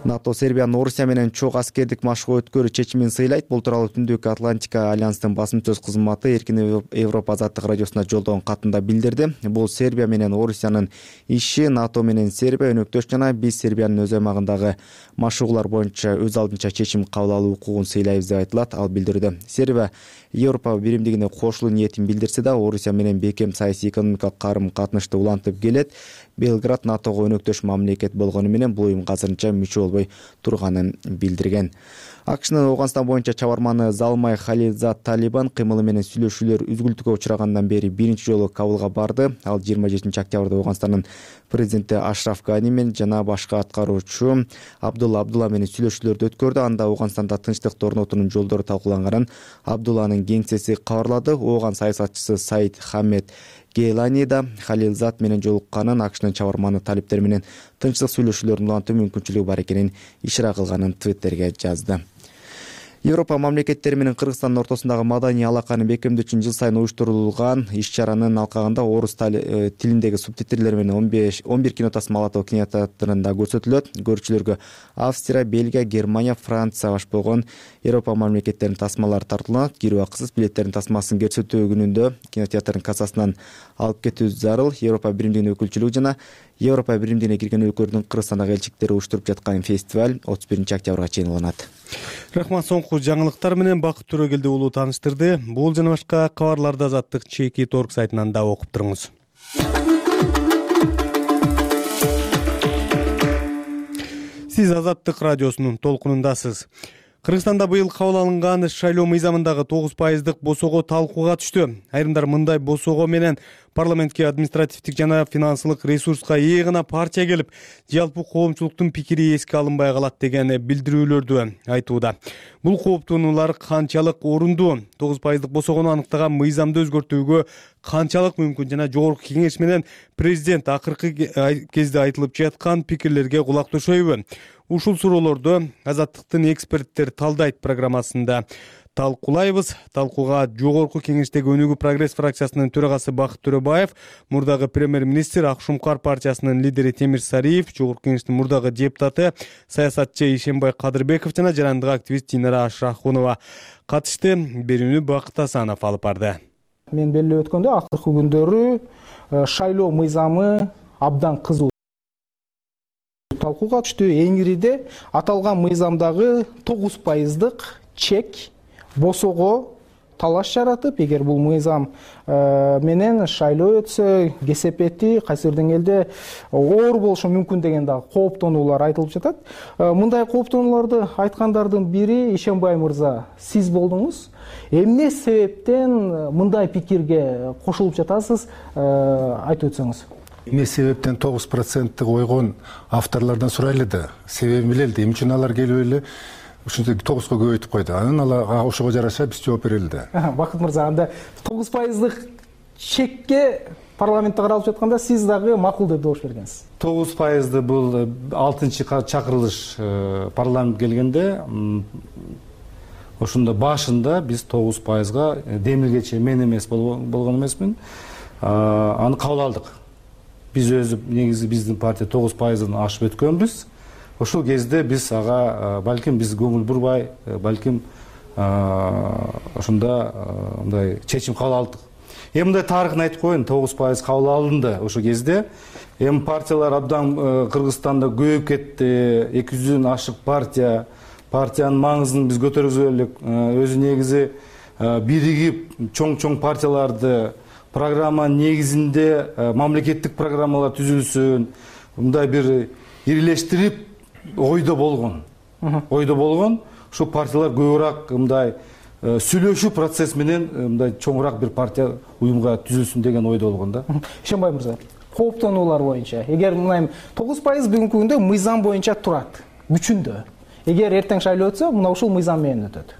НАТО Сербиянын Орусия менен чогуу аскердик машыгуу өткөрүү чечимин сыйлайт. Бул тууралуу Түндүк Атлантика альянстын басым сөз кызматы Эркин Европа азаттык радиосуна жолдогон катында билдирди. Бул Сербия менен Орусиянын иши, НАТО менен Сербия өнөктөш жана биз Сербиянын өз аймагындагы машыгуулар боюнча өз алдынча чечим кабыл алуу укугун сыйлайбыз деп айтылат. Ал билдирүүдө Сербия Европа биримдигине кошулуу ниетин билдирсе да, Орусия менен бекем саясий экономикалык карым катнашты улантып келет. Белград НАТОго өнөктөш мамлекет болгону менен бул уюмга азырынча мүчө болбой турганын билдирген. АКШнын Ооганстан боюнча чабарманы Залмай Халилзад Талибан кыймылы менен сүйлөшүүлөр үзгүлтүккө учрагандан бери биринчи жолу Кабулга барды. Ал жыйырма жетинчи октябрда Ооганстандын президенти Ашраф Гани менен жана башка аткаруучу Абдулла Абдулла менен сүйлөшүүлөрдү өткөрдү. Анда Ооганстанда тынчтыкты орнотуунун жолдору талкууланганын Абдулланын кеңсеси кабарлады. Ооган саясатчысы Саид Хамед Гейлани да Халилзад менен жолукканын, АКШнын чабарманы талиптер менен тынчтык сүйлөшүүлөрүн улантуу мүмкүнчүлүгү бар экенин ишара кылганын Твиттерге жазды. Европа мамлекеттери менен Кыргызстандын ортосундагы маданий алаканы бекемдөө үчүн жыл сайын уюштурулган иш-чаранын алкагында орус тилиндеги субтитрлер менен он беш он бир кино тасмалоо кинотеатрында көрсөтүлөт. Көрүүчүлөргө Австрия, Бельгия, Германия, Франция баш болгон Европа мамлекеттеринин тасмалары тартылат. Кирүү акысыз. Билеттердин тасмасын көрсөтүү күнүндө кинотеатрдын кассасынан алып кетүү зарыл. Европа биримдигинин өкүлчүлүгү жана Европа биримдигине кирген өлкөлөрдүн Кыргызстандагы элчиликтери уюштуруп жаткан фестиваль отуз биринчи октябрга чейин уланат. Рахмат, соңку жаңылыктар менен Бакыт Төрөгелди уулу тааныштырды. Бул жана башка кабарларды Азаттык чеки торг сайтынан да окуп туруңуз. Сиз Азаттык радиосунун толкунундасыз. Кыргызстанда быйыл кабыл алынган шайлоо мыйзамындагы тогуз пайыздык босого талкууга түштү. Айрымдар мындай босого менен парламентке административдик жана финансылык ресурска ээ гана партия келип, жалпы коомчулуктун пикири эске алынбай калат деген билдирүүлөрдү айтууда. Бул кооптонуулар канчалык орундуу? тогуз пайыздык босогону аныктаган мыйзамды өзгөртүүгө канчалык мүмкүн жана Жогорку Кеңеш менен президент акыркы кезде айтылып жаткан пикирлерге кулак төшөйбү? Ушул суроолорду Азаттыктын эксперттер талдайт программасында талкуулайбыз. Талкууга Жогорку Кеңештеги Өнүгүү прогресс фракциясынын төрагасы Бакыт Төрөбаев, мурдагы премьер-министр Ак Шумкар партиясынын лидери Темир Сариев, Жогорку Кеңештин мурдагы депутаты саясатчы Ишенбай Кадырбеков жана жарандык активист Динара Ашрахунова катышты. Берүүнү Бакыт Асанов алып барды. Мен белгилеп өткөндөй, акыркы күндөрү шайлоо мыйзамы абдан кызуу талкууга түштү. Эңириде аталган мыйзамдагы тогуз пайыздык чек босого талаш жаратып, эгер бул мыйзам менен шайлоо өтсө, кесепети кайсы бир деңгээлде оор болушу мүмкүн деген дагы кооптонуулар айтылып жатат. Мындай кооптонууларды айткандардын бири Ишенбай мырза, сиз болдуңуз. Эмне себептен мындай пикирге кошулуп жатасыз, айтып өтсөңүз. Эмне себептен тогуз проценттик ойгон авторлордон сурайлы да. Себебин билели, эмне үчүн алар келип эле ушинтип тогузго көбөйтүп койду. Анан алар ошого жараша биз жооп берели да. Бакыт мырза, анда тогуз пайыздык чекке парламентте каралып жатканда сиз дагы макул деп добуш бергенсиз. тогуз пайызды бул алтынчы чакырылыш парламент келгенде ошондо башында биз тогуз пайызга демилгечи мен эмес болгон эмесмин. Аны кабыл алдык. Биз өзү негизи биздин партия тогуз пайыздан ашып өткөнбүз. Ошол кезде биз ага балким биз көңүл бурбай, балким ошондо мындай чечим кабыл алдык. Эми мындай тарыхын айтып коеюн, тогуз пайыз кабыл алынды ошол кезде. Эми партиялар абдан Кыргызстанда көбөйүп кетти. эки жүздөн ашык партия, партиянын маңызын биз көтөргүзө элек. Өзү негизи биригип чоң-чоң партияларды программа негизинде мамлекеттик программалар түзүлсүн, мындай бир ирилештирип ойдо болгон. Ойдо болгон. Ушул партиялар көбүрөөк мындай сүйлөшүү процесс менен мындай чоңураак бир партия уюмга түзүлсүн деген ойдо болгон да. Ишенбай мырза, кооптонуулар боюнча, эгер мына тогуз пайыз бүгүнкү күндө мыйзам боюнча турат, күчүндө. Эгер эртең шайлоо өтсө, мына ушул мыйзам менен өтөт.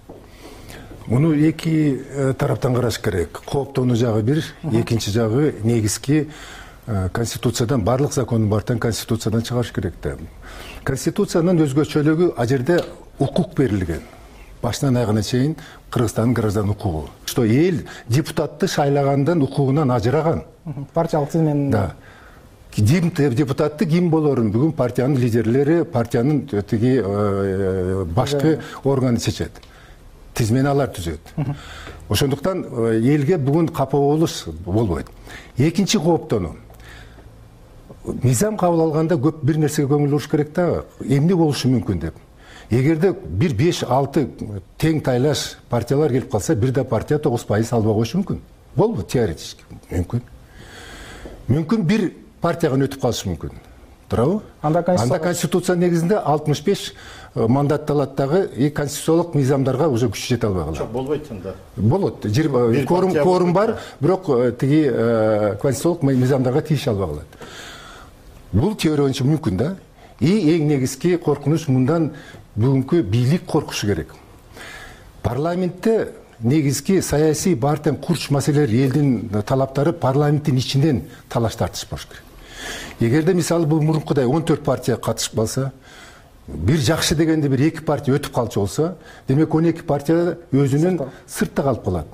Муну эки тараптан караш керек. Кооптонуу жагы бир, экинчи жагы негизги Конституциядан, барлык закондун бартын Конституциядан чыгарыш керек да. Конституциянын өзгөчөлүгү а жерде укук берилген. Башынан аягына чейин Кыргызстандын граждан укугу. Что эл депутатты шайлагандан укугунан ажыраган. Партиялык тизмен. Да. Депутатты ким болорун бүгүн партиянын лидерлери, партиянын тиги башкы органы чечет. Тизмени алар түзөт. Ошондуктан элге бүгүн капа болуш болбойт. Экинчи кооптонуу. Мыйзам кабыл алганда көп бир нерсеге көңүл буруш керек да, эмне болушу мүмкүн деп. Эгерде бир беш алты тең тайлаш партиялар келип калса, бир да партия тогуз пайыз албай коюшу мүмкүн. Болбу теоретически мүмкүн. Мүмкүн бир партияга өтүп калышы мүмкүн. Туурабы? Анда конституция негизинде алтымыш беш мандат алат дагы, и конституциялык мыйзамдарга уже күч жете албай калат. Жок, болбойт анда. Болот. Кворум кворум бар, бирок тиги конституциялык мыйзамдарга тийише албай калат. Бул теория боюнча мүмкүн да. И эң негизги коркунуч мындан бүгүнкү бийлик коркушу керек. Парламентте негизги саясий бартын курч маселелер, элдин талаптары парламенттин ичинен талаш тартыш болуш керек. Эгерде мисалы бул мурункудай он төрт партия катышып калса, бир жакшы дегенде бир эки партия өтүп калчу болсо, демек он эки партия өзүнүн сыртта калып калат.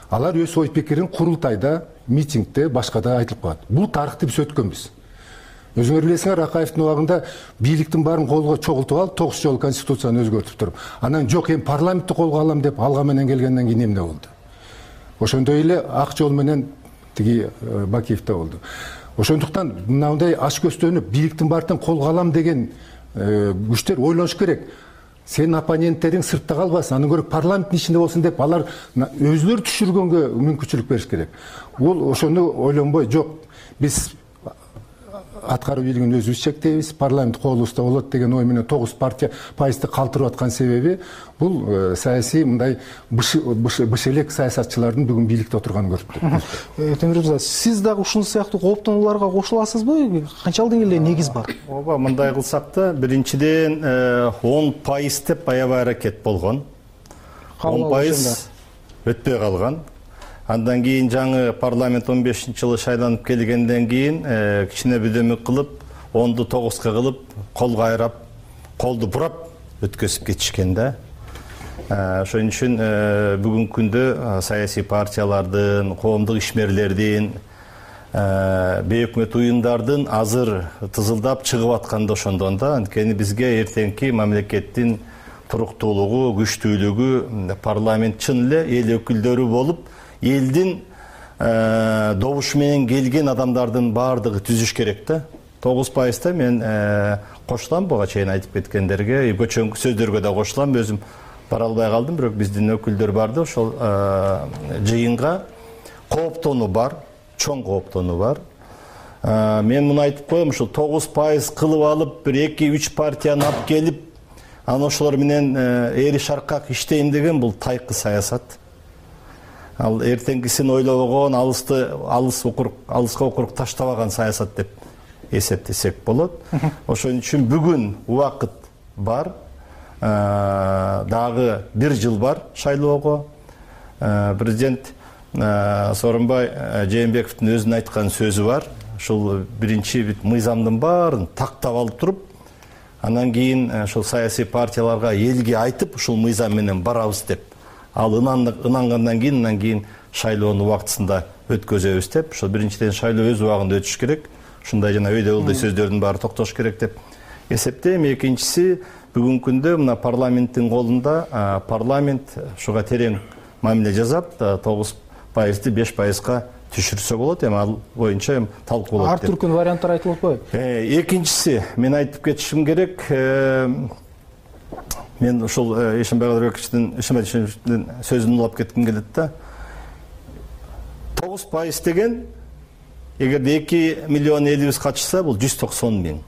Алар өз ой пикирин курултайда, митингде, башкада айтылып калат. Бул тарыхты биз өткөнбүз. Өзүңөр билесиңер, Ракаевдин убагында бийликтин баарын колго чогултуп алып, тогуз жолу конституцияны өзгөртүп туруп, анан жок, эми парламентти колго алам деп алга менен келгенден кийин эмне болду? Ошондой эле ак жол менен тиги Бакиевде болду. Ошондуктан мындай аш көстөнүп, бийликтин баарын колго алам деген күчтөр ойлош керек. Сенин оппоненттериң сыртта калбасын, анын көрө парламенттин ичинде болсун деп алар өзүлөрү түшүргөнгө мүмкүнчүлүк бериш керек. Бул ошону ойлонбой, жок, биз аткаруу бийлигин өзүбүз чектейбиз, парламент колубузда болот деген ой менен тогуз партия пайызды калтырып аткан себеби бул саясий мындай бышелек саясатчылардын бүгүн бийликте отурганын көрүп туруп. Темир мырза, сиз дагы ушул сыяктуу кооптонууларга кошуласызбы? Канчалык деңгээлде негиз бар? Ооба, мындай кылсак да, биринчиден он пайыз деп аябай аракет болгон. он пайыз өтпөй калган. Андан кийин жаңы парламент он бешинчи жылы шайланып келгенден кийин кичине бөдөмүк кылып, онду тогузга кылып, кол кайрап, колду бурап өткөзүп кетишкен да. Ошон үчүн бүгүнкү күндө саясий партиялардын, коомдук ишмерлердин, бейөкмөт уюмдардын азыр тызылдап чыгып атканда ошондон да, анткени бизге эртеңки мамлекеттин туруктуулугу, күчтүүлүгү парламент чын эле эл өкүлдөрү болуп, элдин добуш менен келген адамдардын баардыгы түзүш керек да. тогуз пайызда мен кошулам буга чейин айтып кеткендерге, көчөңкү сөздөргө да кошулам. Өзүм бара албай калдым, бирок биздин өкүлдөр барды. Ошол жыйынга кооптонуу бар, чоң кооптонуу бар. Мен муну айтып коем, ушул тогуз пайыз кылып алып, бир эки үч партияны алып келип, анан ошолор менен эри шаркак иштейм деген бул тайкы саясат. Ал эртеңгисин ойлобогон, алысты алыс окурук, алыска окурук таштабаган саясат деп эсептесек болот. Ошон үчүн бүгүн убакыт бар. Дагы бир жыл бар шайлоого. Президент Сооронбай Жээнбековдун өзүнүн айткан сөзү бар. Ушул биринчи бит мыйзамдын баарын тактап алып туруп, анан кийин ушул саясий партияларга, элге айтып, ушул мыйзам менен барабыз деп. Ал ынангандан кийин, анан кийин шайлоону убактысында өткөзөбүз деп. Ошол биринчиден шайлоо өз убагында өтүш керек. Ушундай жана өйдө ылдый сөздөрдүн баары токтош керек деп эсептейм. Экинчиси, бүгүнкү күндө мына парламенттин колунда, парламент ушуга терең мамиле жасап, тогуз пайызды беш пайызга түшүрсө болот. Эми ал боюнча эми талкууланат. Ар түркүн варианттар айтылып атпайбы? Экинчиси, мен айтып кетишим керек. Мен ушул Эшенбай Кадырбековичтин, Эшенбай Эшеновичтин сөзүн улап кетким келет да. тогуз пайыз деген, эгерде эки миллион элибиз катышса, бул жүз токсон миң.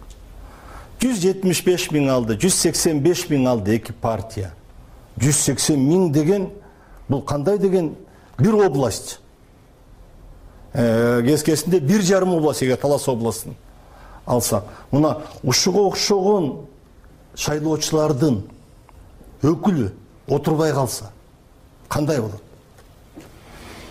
жүз жетимиш беш миң алды, жүз сексен беш миң алды эки партия. жүз сексен миң деген, бул кандай деген бир область. Кескесинде бир жарым область, эгер Талас областын алсак. Мына ушуга окшогон шайлоочулардын өкүлү отурбай калса, кандай болот?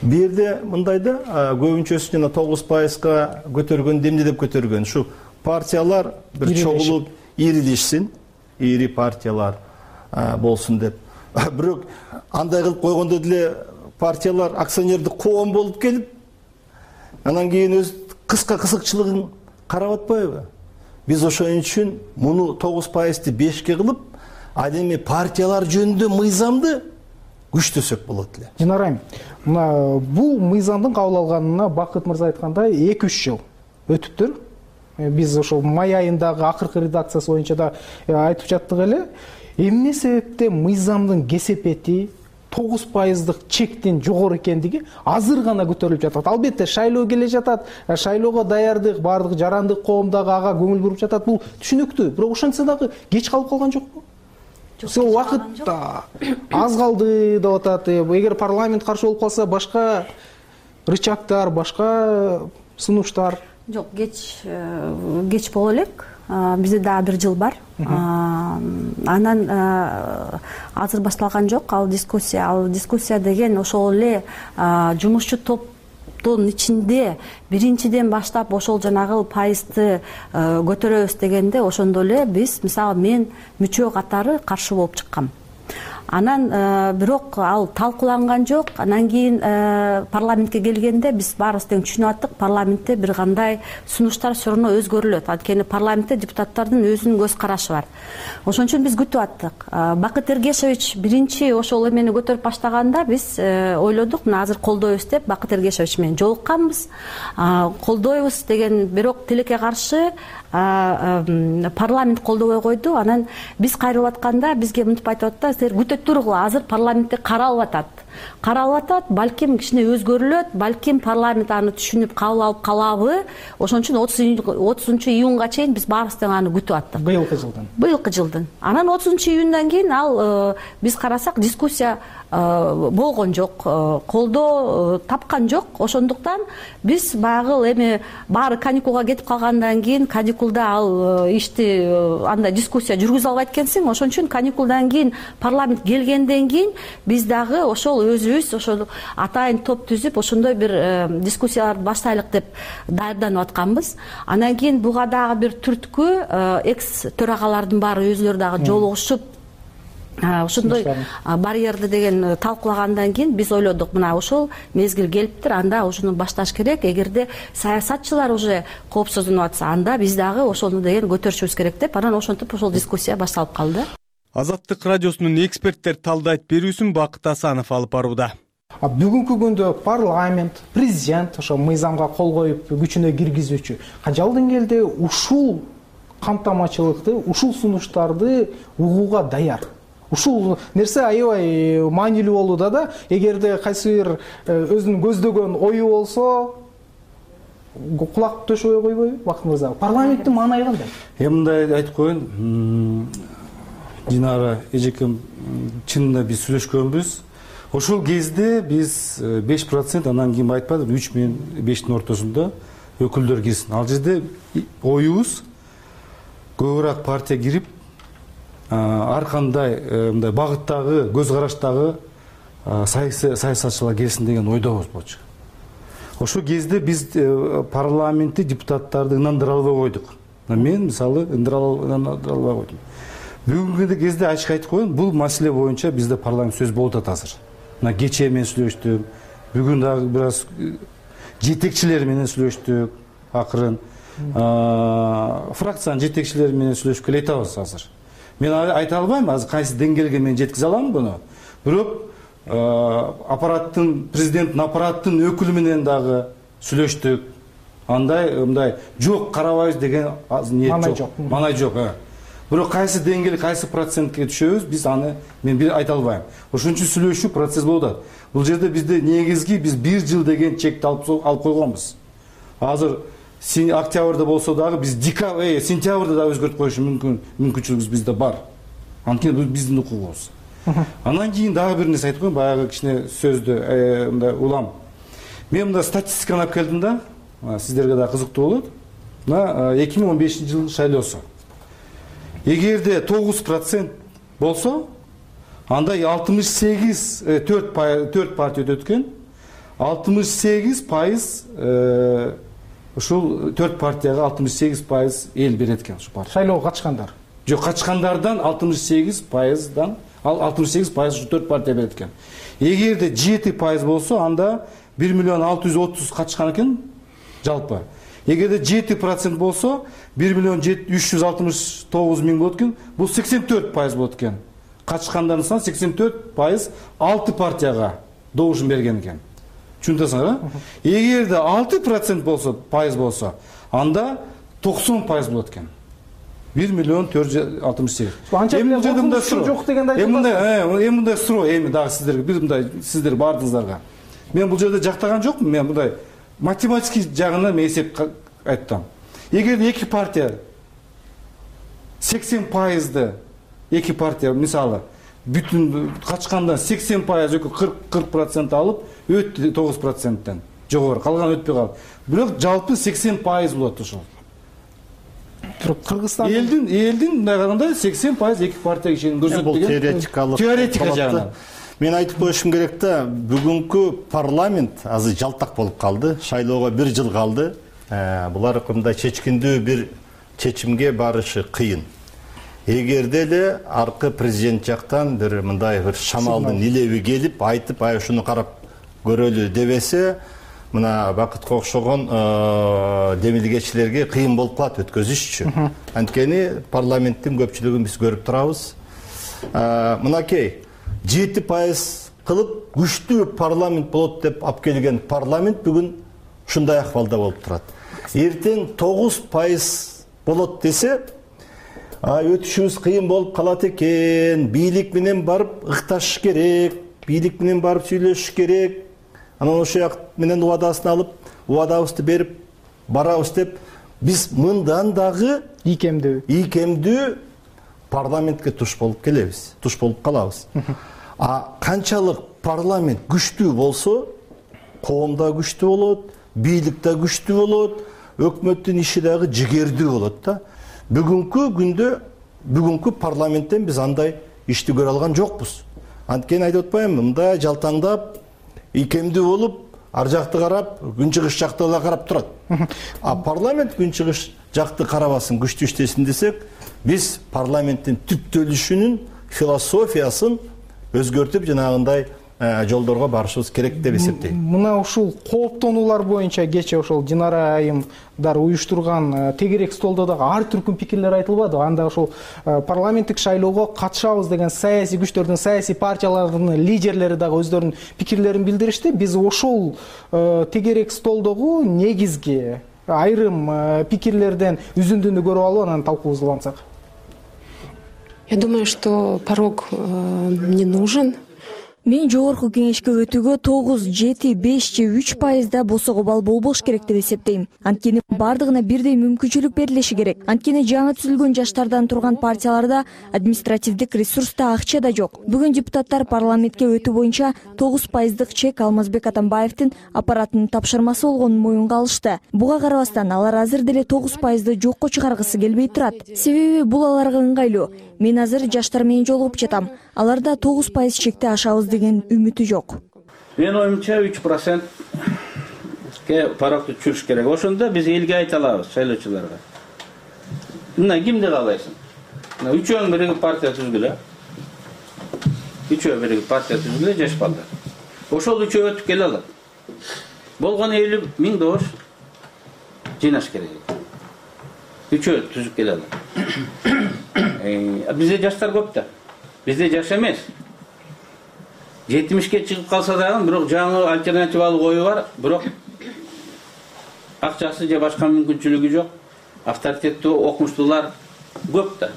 Бу жерде мындай да, көбүнчөсү жана тогуз пайызга көтөргөн, эмне деп көтөргөн? Ушу партиялар бир чогулуп ирилишсин, ири партиялар болсун деп. Бирок андай кылып койгондо деле партиялар акционердик коом болуп келип, анан кийин өз кыска кызыкчылыгын карап атпайбы? Биз ошон үчүн муну тогуз пайызды бешке кылып, ал эми партиялар жөнүндө мыйзамды күчтөсөк болот эле. Жинар айым, мына бул мыйзамдын кабыл алганына Бакыт мырза айткандай эки үч жыл өтүптүр. Биз ошол май айындагы акыркы редакциясы боюнча да айтып жаттык эле. Эмне себептен мыйзамдын кесепети тогуз пайыздык чектин жогору экендиги азыр гана көтөрүлүп жатат. Албетте шайлоо келе жатат, шайлоого даярдык, баардык жарандык коом дагы ага көңүл буруп жатат. Бул түшүнүктүү. Бирок ошентсе дагы кеч калып калган жокпу? Сол убакыт аз калды деп атат. Эгер парламент каршы болуп калса, башка рычагтар, башка сунуштар. Жок, кеч кеч боло элек. Бизде дагы бир жыл бар. Анан азыр башталган жок ал дискуссия. Ал дискуссия деген ошол эле жумушчу топтун ичинде биринчиден баштап ошол жанагы пайызды көтөрөбүз дегенде, ошондо эле биз, мисалы, мен мүчө катары каршы болуп чыккам. Анан бирок ал талкууланган жок. Анан кийин парламентке келгенде биз баарыбыз тең түшүнүп аттык, парламентте бир кандай сунуштар все равно өзгөрүлөт. Анткени парламентте депутаттардын өзүнүн көз карашы бар. Ошон үчүн биз күтүп аттык. Бакыт Эргешевич биринчи ошол эмени көтөрүп баштаганда биз ойлодук, мына азыр колдойбуз деп Бакыт Эргешевич менен жолукканбыз. Колдойбуз деген, бирок тилекке каршы парламент колдобой койду. Анан биз кайрылып атканда бизге мынтип айтып атты: "Силер күтөп тургула, азыр парламентте каралып атат. Каралып атат, балким кичине өзгөрүлөт, балким парламент аны түшүнүп кабыл алып калабы". Ошон үчүн отузунчу июнга чейин биз баарыбыз тең аны күтүп аттык. Быйылкы жылдын. Быйылкы жылдын. Анан отузунчу июндан кийин ал биз карасак дискуссия болгон жок, колдоо тапкан жок. Ошондуктан биз баягы эми баары каникулга кетип калгандан кийин, каникулда ал ишти андай дискуссия жүргүзө албайт экенсиң. Ошон үчүн каникулдан кийин парламент келгенден кийин биз дагы ошол өзүбүз ошол атайын топ түзүп, ошондой бир дискуссияларды баштайлык деп даярданып атканбыз. Анан кийин буга дагы бир түрткү экс төрагалардын баары өзүлөрү дагы жолугушуп ошондой барьерди деген талкуулагандан кийин биз ойлодук, мына ошол мезгил келиптир, анда ошону башташ керек. Эгерде саясатчылар уже коопсуздунуп атса, анда биз дагы ошону деген көтөрүшүбүз керек деп, анан ошентип ошол дискуссия башталып калды. Азаттык радиосунун эксперттер талдайт берүүсүн Бакыт Асанов алып барууда. бүгүнкү күндө парламент, президент ошо мыйзамга кол коюп күчүнө киргизүүчү канчалык деңгээлде ушул камтамачылыкты, ушул сунуштарды угууга даяр? Ушул нерсе аябай маанилүү болууда да. Эгерде кайсы бир өзүнүн көздөгөн ою болсо, кулак төшөбөй койбойбу Бакыт мырза? Парламенттин маанайы кандай? Эми мындай айтып коеюн, Динара эжекем, чынында биз сүйлөшкөнбүз. Ошол кезде биз беш процент, анан кийин айтпадым, үч менен бештин ортосунда өкүлдөр кирсин. Ал жерде оюбуз көбүрөөк партия кирип, ар кандай мындай багыттагы, көз караштагы саясатчылар келсин деген ойдобуз болчу. Ошол кезде биз парламентти, депутаттарды ынандыра албай койдук. Мен мисалы ындыра албай койдум. Бүгүнкү кезде ачык айтып коеюн, бул маселе боюнча бизде парламент сөз болуп атат азыр. Мына кечээ мен сүйлөштүм, бүгүн дагы бир аз жетекчилер менен сүйлөштүк, акырын фракциянын жетекчилери менен сүйлөшүп келе жатабыз азыр. Мен айта албайм азыр кайсы деңгээлге мен жеткизе алам буну. Бирок аппараттын, президенттин аппараттын өкүлү менен дагы сүйлөштүк. Андай мындай жок карабайбыз деген ниет жок. Маанай жок. Бирок кайсы деңгээл, кайсы процентке түшөбүз, биз аны мен бир айта албайм. Ошон үчүн сүйлөшүү процесс болуп атат. Бул жерде бизде негизги биз бир жыл деген чекти алып койгонбуз. Азыр октябрда болсо дагы биз декабрь, сентябрда да өзгөртүп коюшу мүмкүн, мүмкүнчүлүгүбүз бизде бар. Анткени бул биздин укугубуз. Анан кийин дагы бир нерсе айтып коеюн, баягы кичине сөздү мындай улам. Мен мында статистиканы алып келдим да, сиздерге да кызыктуу болот. Мына эки миң он бешинчи жыл шайлоосу. Эгерде тогуз процент болсо, анда алтымыш сегиз төрт партия өтөт экен. алтымыш сегиз пайыз ушул төрт партияга алтымыш сегиз пайыз эл берет экен ушул партия. Шайлоого катышкандар. Жок, катышкандардан алтымыш сегиз пайыздан ал алтымыш сегиз пайыз ушу төрт партия берет экен. Эгерде жети пайыз болсо, анда бир миллион алты жүз отуз катышкан экен жалпы. Эгерде жети процент болсо, бир миллион үч жүз алтымыш тогуз миң болот экен. Бул сексен төрт пайыз болот экен. Катышкандардын саны сексен төрт пайыз алты партияга добушун берген экен. Түшүнөсүңөр, а? Эгерде алты процент болсо, пайыз болсо, анда токсон пайыз болот экен. бир миллион төрт жүз алтымыш сегиз. Эми жерде жок дегенди айтып атасыз. Эми мындай суроо, эми дагы сиздерге бир мындай сиздер бардыңыздарга. Мен бул жерде жактаган жокмун, мен мындай математический жагынан мен эсеп айттым. Эгерде эки партия сексен пайызды эки партия мисалы бүтүн качкандан сексен пайыз кырк процент алып, өттү тогуз проценттен жогору, калган өтпөй калды. Бирок жалпы сексен пайыз болот ошол. Кыргызстан элдин элдин мындай караганда сексен пайыз эки партия кишинин көрсөтүп бул теоретикалык теоретика жагынан. Мен айтып коюшум керек да, бүгүнкү парламент азыр жалтак болуп калды. Шайлоого бир жыл калды. Булар мындай чечкиндүү бир чечимге барышы кыйын. Эгерде эле аркы президент жактан бир мындай бир шамалдын илеби келип, айтып, ай ушуну карап көрөлү дебесе, мына Бакытка окшогон демилгечилерге кыйын болуп калат өткөзүшчү. Анткени парламенттин көпчүлүгүн биз көрүп турабыз. Мынакей жети пайыз кылып күчтүү парламент болот деп алып келген парламент бүгүн ушундай акыбалда болуп турат. Эртең тогуз пайыз болот десе, өтүшүбүз кыйын болуп калат экен, бийлик менен барып ыкташыш керек, бийлик менен барып сүйлөшүш керек. Анан ошол жак менен убадасын алып, убадабызды берип барабыз деп, биз мындан дагы ийкемдүү ийкемдүү парламентке туш болуп келебиз, туш болуп калабыз. А канчалык парламент күчтүү болсо, коом да күчтүү болот, бийлик да күчтүү болот, өкмөттүн иши дагы жигердүү болот да. Бүгүнкү күндө бүгүнкү парламенттен биз андай ишти көрө алган жокпуз. Анткени айтып атпаймынбы, мындай жалтаңдап, ийкемдүү болуп, ар жакты карап, күнчыгыш жакты эле карап турат. А парламент күнчыгыш жакты карабасын, күчтүү иштесин десек, биз парламенттин түптөлүшүнүн философиясын өзгөртүп, жанагындай жолдорго барышыбыз керек деп эсептейм. Мына ушул кооптонуулар боюнча кечээ ошол Динара айымдар уюштурган тегерек столдо дагы ар түркүн пикирлер айтылбады. Анда ошол парламенттик шайлоого катышабыз деген саясий күчтөрдүн, саясий партиялардын лидерлери дагы өздөрүнүн пикирлерин билдиришти. Биз ошол тегерек столдогу негизги айрым пикирлерден үзүндүнү көрүп алып, анан талкуубузду улантсак. Я думаю, что порог не нужен. Мен жогорку кеңешке өтүүгө тогуз, жети, беш же үч пайызда босого балл болбош керек деп эсептейм. Анткени бардыгына бирдей мүмкүнчүлүк берилиши керек. Анткени жаңы түзүлгөн жаштардан турган партияларда административдик ресурс да, акча да жок. Бүгүн депутаттар парламентке өтүү боюнча тогуз пайыздык чек Алмазбек Атамбаевдин аппаратынын тапшырмасы болгонун моюнга алышты. Буга карабастан алар азыр деле тогуз пайызды жокко чыгаргысы келбей турат. Себеби бул аларга ыңгайлуу. Мен азыр жаштар менен жолугуп жатам. Аларда тогуз пайыз чекти ашабыз деген үмүтү жок. Менин оюмча үч процентке парокду түшүрүш керек. Ошондо биз элге айта алабыз, шайлоочуларга. Мына кимди каалайсың? Мына үчөөң биригип партия түзгүлө. Үчөө биригип партия түзгүлө, жаш балдар. Ошол үчөө өтүп келе алат. Болгону элүү миң добуш жыйнаш керек. Үчөө түзүп келе алат. Бизде жаштар көп да. Бизде жаш эмес. жетимишке чыгып калса дагы, бирок жаңы альтернативалык ою бар, бирок акчасы же башка мүмкүнчүлүгү жок. Авторитеттүү, окумуштуулар көп да.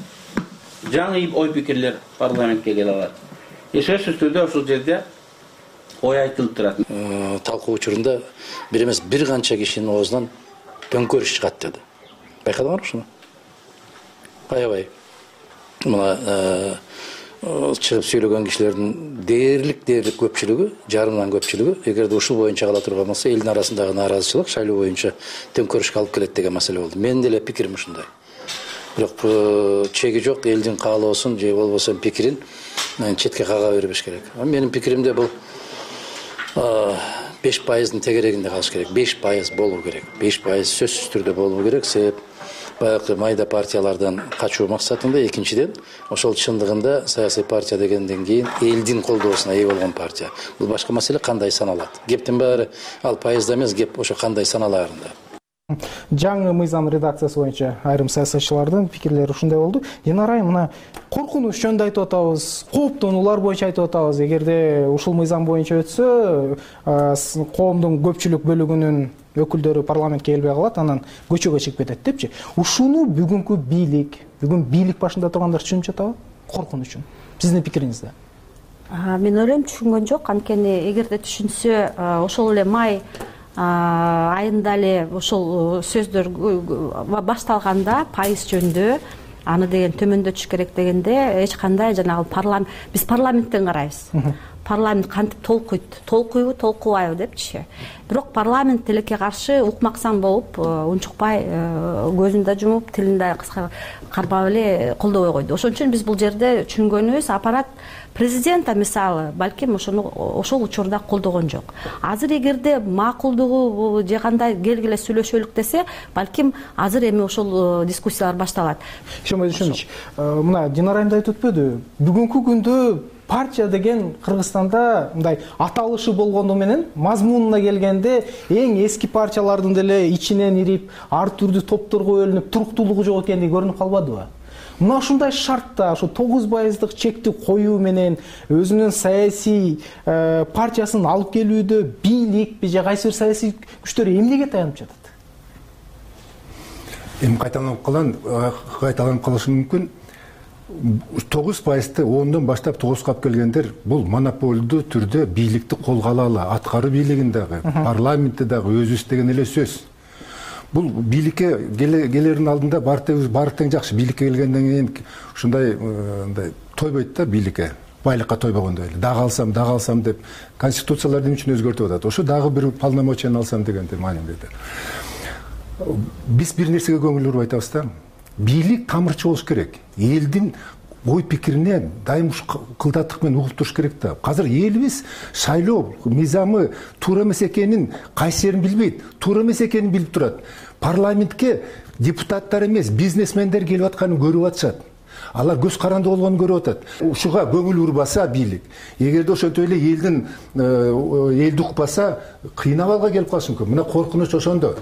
Жаңы ой пикирлер парламентке келе алат. Сөзсүз түрдө ошол жерде ой айтылып турат. Талкуу учурунда бир эмес бир канча кишинин оозунан төңкөрүш чыгат деди. Байкадыңарбы ушуну? Аябай. Мына чыгып сүйлөгөн кишилердин дээрлик дээрлик көпчүлүгү, жарымдан көпчүлүгү, эгерде ушул боюнча кала турган болсо, элдин арасындагы нааразычылык шайлоо боюнча төңкөрүшкө алып келет деген маселе болду. Менин деле пикирим ушундай. Бирок чеги жок, элдин каалоосун же болбосо пикирин четке кага бербеш керек. Менин пикиримде бул беш пайыздын тегерегинде калыш керек. беш пайыз болуу керек. беш пайыз сөзсүз түрдө болуу керек. Себеп баягы майда партиялардан качуу максатында, экинчиден ошол чындыгында саясий партия дегенден кийин элдин колдоосуна ээ болгон партия. Бул башка маселе, кандай саналат. Кептин баары ал пайызда эмес, кеп ошо кандай саналаарында. Жаңы мыйзам редакциясы боюнча айрым саясатчылардын пикирлери ушундай болду. Динара айым, мына коркунуч жөнүндө айтып атабыз, кооптонуулар боюнча айтып атабыз. Эгерде ушул мыйзам боюнча өтсө, коомдун көпчүлүк бөлүгүнүн өкүлдөрү парламентке келбей калат, анан көчөгө чыгып кетет депчи. Ушуну бүгүнкү бийлик, бүгүн бийлик башында тургандар түшүнүп жатабы? Коркунучун. Сиздин пикириңизде? Мен ойлойм, түшүнгөн жок. Анткени эгерде түшүнсө, ошол эле май айында эле ошол сөздөр башталганда пайыз жөнүндө аны деген төмөндөтүш керек дегенде эч кандай жанагы парламент, биз парламенттен карайбыз. Парламент кантип толкуйт, толкуйбу, толкубайбы депчи. Бирок парламент тилекке каршы укмаксан болуп, унчукпай, көзүн да жумуп, тилин да кармап эле колдобой койду. Ошон үчүн биз бул жерде түшүнгөнүбүз, аппарат президент мисалы балким ошону ошол учурда колдогон жок. Азыр эгерде макулдугу же кандай келгиле сүйлөшөлүк десе, балким азыр эми ошол дискуссиялар башталат. Ишенбей түшүнүч. Мына Динара айымда айтып өтпөдү? Бүгүнкү күндө партия деген Кыргызстанда мындай аталышы болгону менен мазмунуна келгенде эң эски партиялардын деле ичинен ирип, ар түрдүү топторго бөлүнүп, туруктуулугу жок экендиги көрүнүп калбадыбы? Мына ушундай шартта, ушу тогуз пайыздык чекти коюу менен өзүнүн саясий партиясын алып келүүдө бийлик же кайсы бир саясий күчтөр эмнеге таянып жатат? Эми кайталанып калган, кайталанып калышы мүмкүн. тогуз пайызды ондон баштап тогузга алып келгендер бул монополдуу түрдө бийликти колго алалы, аткаруу бийлигин дагы, парламентти дагы өзүбүз деген эле сөз. Бул бийликке келердин алдында баары тең жакшы, бийликке келгенден кийин ушундай тойбойт да бийликке. Байлыкка тойбогондой эле. Дагы алсам, дагы алсам деп конституцияларды эмне үчүн өзгөртүп атат? Ошо дагы бир полномочияны алсам дегенде маанинде. Биз бир нерсеге көңүл буруп айтабыз да. Бийлик тамырчы болуш керек. Элдин ой пикирине дайым кылдаттык менен угуп туруш керек да. Азыр элибиз шайлоо мыйзамы туура эмес экенин кайсы жерин билбейт, туура эмес экенин билип турат. Парламентке депутаттар эмес, бизнесмендер келип атканын көрүп атышат. Алар көз каранды болгонун көрүп атат. Ушуга көңүл урбаса бийлик, эгерде ошентип эле элдин элди укпаса, кыйнабалга келип калышы мүмкүн. Мына коркунуч ошондо.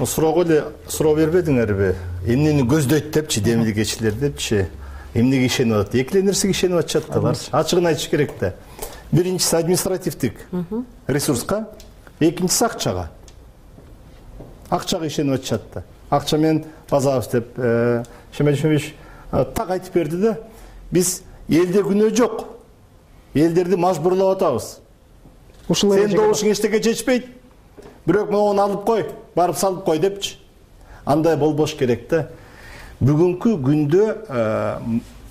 Суроого эле суроо бербедиңерби? Эмнени көздөйт депчи, демилгечилер депчи? Эмнеге ишенип атат? Эки эле нерсеге ишенип атышат да, алар. Ачыгын айтыш керек да. Биринчиси административдик ресурска, экинчиси акчага. Акчага ишенип атышат да. Акча менен базабыз деп Шемел Шемиш так айтып берди да. Биз элде күнөө жок. Элдерди мажбурлап атабыз. Сен добушуң эчтеке чечпейт. Бирок могуну алып кой, барып салып кой депчи. Андай болбош керек да. Бүгүнкү күндө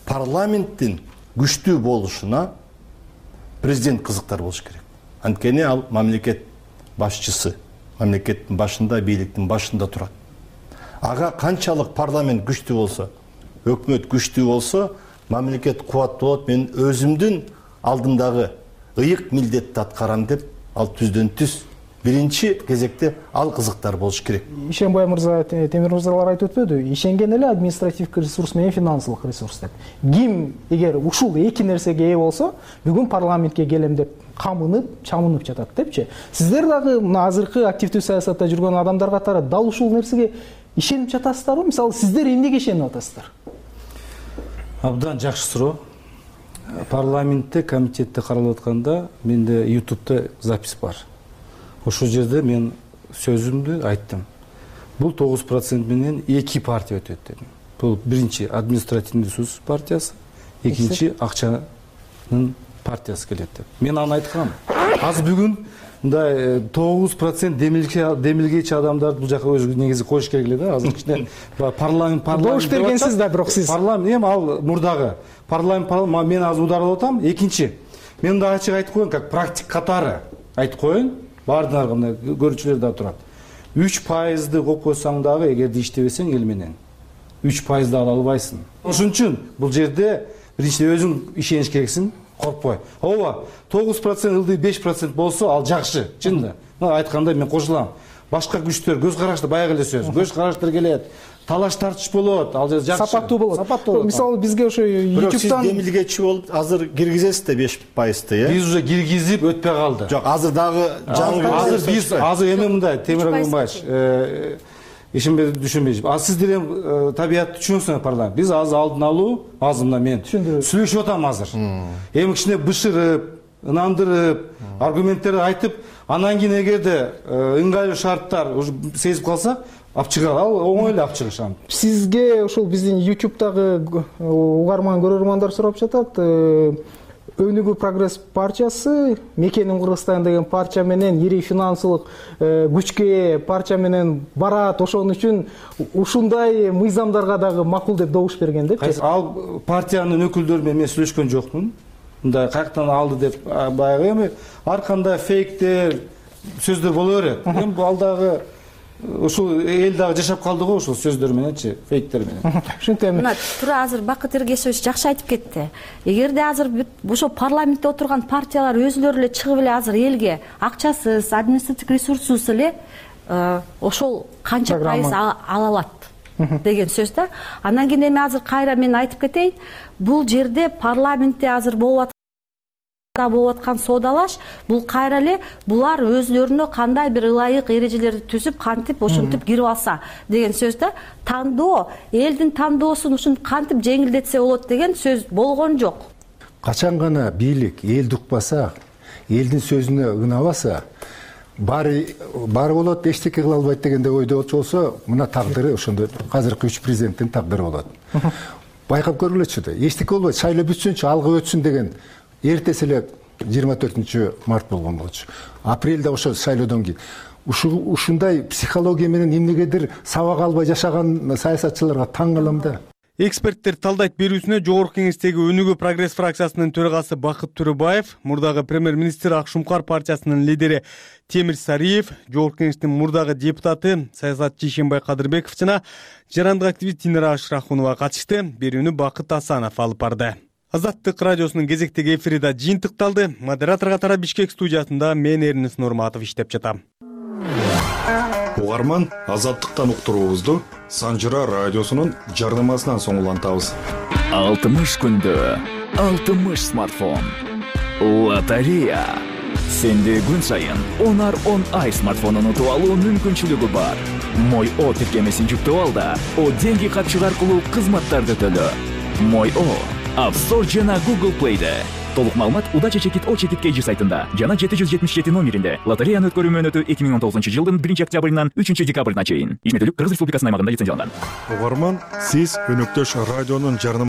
парламенттин күчтүү болушуна президент кызыктар болуш керек. Анткени ал мамлекет башчысы, мамлекеттин башында, бийликтин башында турат. Ага канчалык парламент күчтүү болсо, өкмөт күчтүү болсо, мамлекет кубаттуу болот. Мен өзүмдүн алдымдагы ыйык милдетти аткарам деп ал түздөн түз биринчи кезекте ал кызыктар болуш керек. Ишенбай мырза, Темир мырзалар айтып өтпөдү? Ишенген эле административдик ресурс менен финансылык ресурс деп. Ким эгер ушул эки нерсеге ээ болсо, бүгүн парламентке келем деп камынып, чамынып жатат депчи. Сиздер дагы мына азыркы активдүү саясатта жүргөн адамдар катары дал ушул нерсеге ишенип жатасыздарбы? Мисалы, сиздер эмнеге ишенип атасыздар? Абдан жакшы суроо. Парламентте, комитетте каралып атканда менде ютубта запись бар. Ошол жерде мен сөзүмдү айттым. Бул тогуз процент менен эки партия өтөт дедим. Бул биринчи административный ресурс партиясы, экинчи акчанын партиясы келет деп. Мен аны айткам. Азыр бүгүн мындай тогуз процент демилгечи адамдарды бул жака өзү негизи коюш керек эле да. Азыр кичине парламент парламент добуш бергенсиз да, бирок сиз парламент эми ал мурдагы парламент мен азыр ударылып атам. Экинчи, мен да ачык айтып коеюн, как практик катары айтып коеюн. Бардыңар мына көрүүчүлөр да турат. үч пайызды коюп койсоң дагы, эгерде иштебесең эл менен, үч пайызды ала албайсың. Ошон үчүн бул жерде биринчи өзүң ишениш керексиң, коркпой. Ооба, тогуз процент ылдый беш процент болсо ал жакшы, чын да. Мына айтканда мен кошулам. Башка күчтөр, көз караштар, баягы эле сөз. Көз караштар келет. Талаш тартыш болот, ал жакшы. Сапаттуу болот. Сапаттуу болот. Мисалы, бизге ошо ютубтан сиз демилгечи болуп азыр киргизесиз да беш пайызды, э? Биз уже киргизип өтпөй калды. Жок, азыр дагы жаңы азыр биз азыр эми мындай Темир Акмамбаевич, ишенбей түшүнбей. А сиздер эми табиятты түшүнөсүңөр парламент. Биз азыр алдын алуу, азыр мына мен сүйлөшүп атам азыр. Эми кичине бышырып, ынандырып, аргументтерди айтып, анан кийин эгерде ыңгайлуу шарттар сезип калса, алып чыгар, ал оңой эле алып чыгышам. Сизге ушул биздин ютубтагы угарман көрөрмандар сурап жатат. Өнүгүү прогресс партиясы, Мекеним Кыргызстан деген партия менен ири финансылык күчкө ээ партия менен барат. Ошон үчүн ушундай мыйзамдарга дагы макул деп добуш берген деп. Ал партиянын өкүлдөрү менен мен сүйлөшкөн жокмун. Мындай каяктан алды деп баягы эми ар кандай фейктер, сөздөр боло берет. Эми ал дагы ушул эл дагы жашап калды го ушул сөздөр мененчи, фейктер менен. Ушинтем. Мына туура азыр Бакыт Эргешевич жакшы айтып кетти. Эгерде азыр ошо парламентте отурган партиялар өзүлөрү эле чыгып эле азыр элге акчасыз, административдик ресурссуз эле ошол канча пайыз ала алат деген сөз да. Андан кийин эми азыр кайра мен айтып кетейин. Бул жерде парламентте азыр болуп болуп аткан соодалаш, бул кайра эле булар өзлөрүнө кандай бир ылайык эрежелерди түзүп, кантип ошентип кирип алса деген сөз да. Тандоо, элдин тандоосун ушинтип кантип жеңилдетсе болот деген сөз болгон жок. Качан гана бийлик элди укпаса, элдин сөзүнө ынабаса, баары баары болот, эчтеке кыла албайт дегенде ойдо болсо, мына тагдыры ошондо азыркы үч президенттин тагдыры болот. Байкап көргүлөчү да, эчтеке болбойт, шайлоо бүтсүнчү, алгы өтсүн деген эртеси эле жыйырма төртүнчү март болгон болчу. Апрелде ошо шайлоодон кийин ушундай психология менен эмнегедир сабак албай жашаган саясатчыларга таң калам да. Эксперттер талдайт берүүсүнө Жогорку Кеңештеги Өнүгүү прогресс фракциясынын төрагасы Бакыт Төрөбаев, мурдагы премьер-министр Акшумкар партиясынын лидери Темир Сариев, Жогорку Кеңештин мурдагы депутаты саясатчы Ишенбай Кадырбеков жана жарандык активист Динара Ашрахунова катышты. Берүүнү Бакыт Асанов алып барды. Азаттык радиосунун кезектеги эфири да жыйынтыкталды. Модератор катары Бишкек студиясында мен Эрнис Нурматов иштеп жатам. угарман Азаттыктан уктуруубузду Санжыра радиосунун жарнамасынан соң улантабыз. алтымыш күндө алтымыш смартфон. Лотерея. Сенде күн сайын он ар он ай смартфонун утуп алуу мүмкүнчүлүгү бар. Мой О тиркемесин жүктөп ал да О деньги катчык аркылуу кызматтарды төлө. Мой О App Store жана Google Play'де. Толук маалымат Удача чекит О чекит Кж сайтында жана жети жүз жетимиш жети номеринде. Лотереяны өткөрүү мөөнөтү эки миң он тогузунчу жылдын биринчи октябрынан үчүнчү декабрына чейин. Ишметтүүлүк Кыргыз Республикасынын аймагында лицензияланган. Угарман, сиз өнөктөш радионун жарнама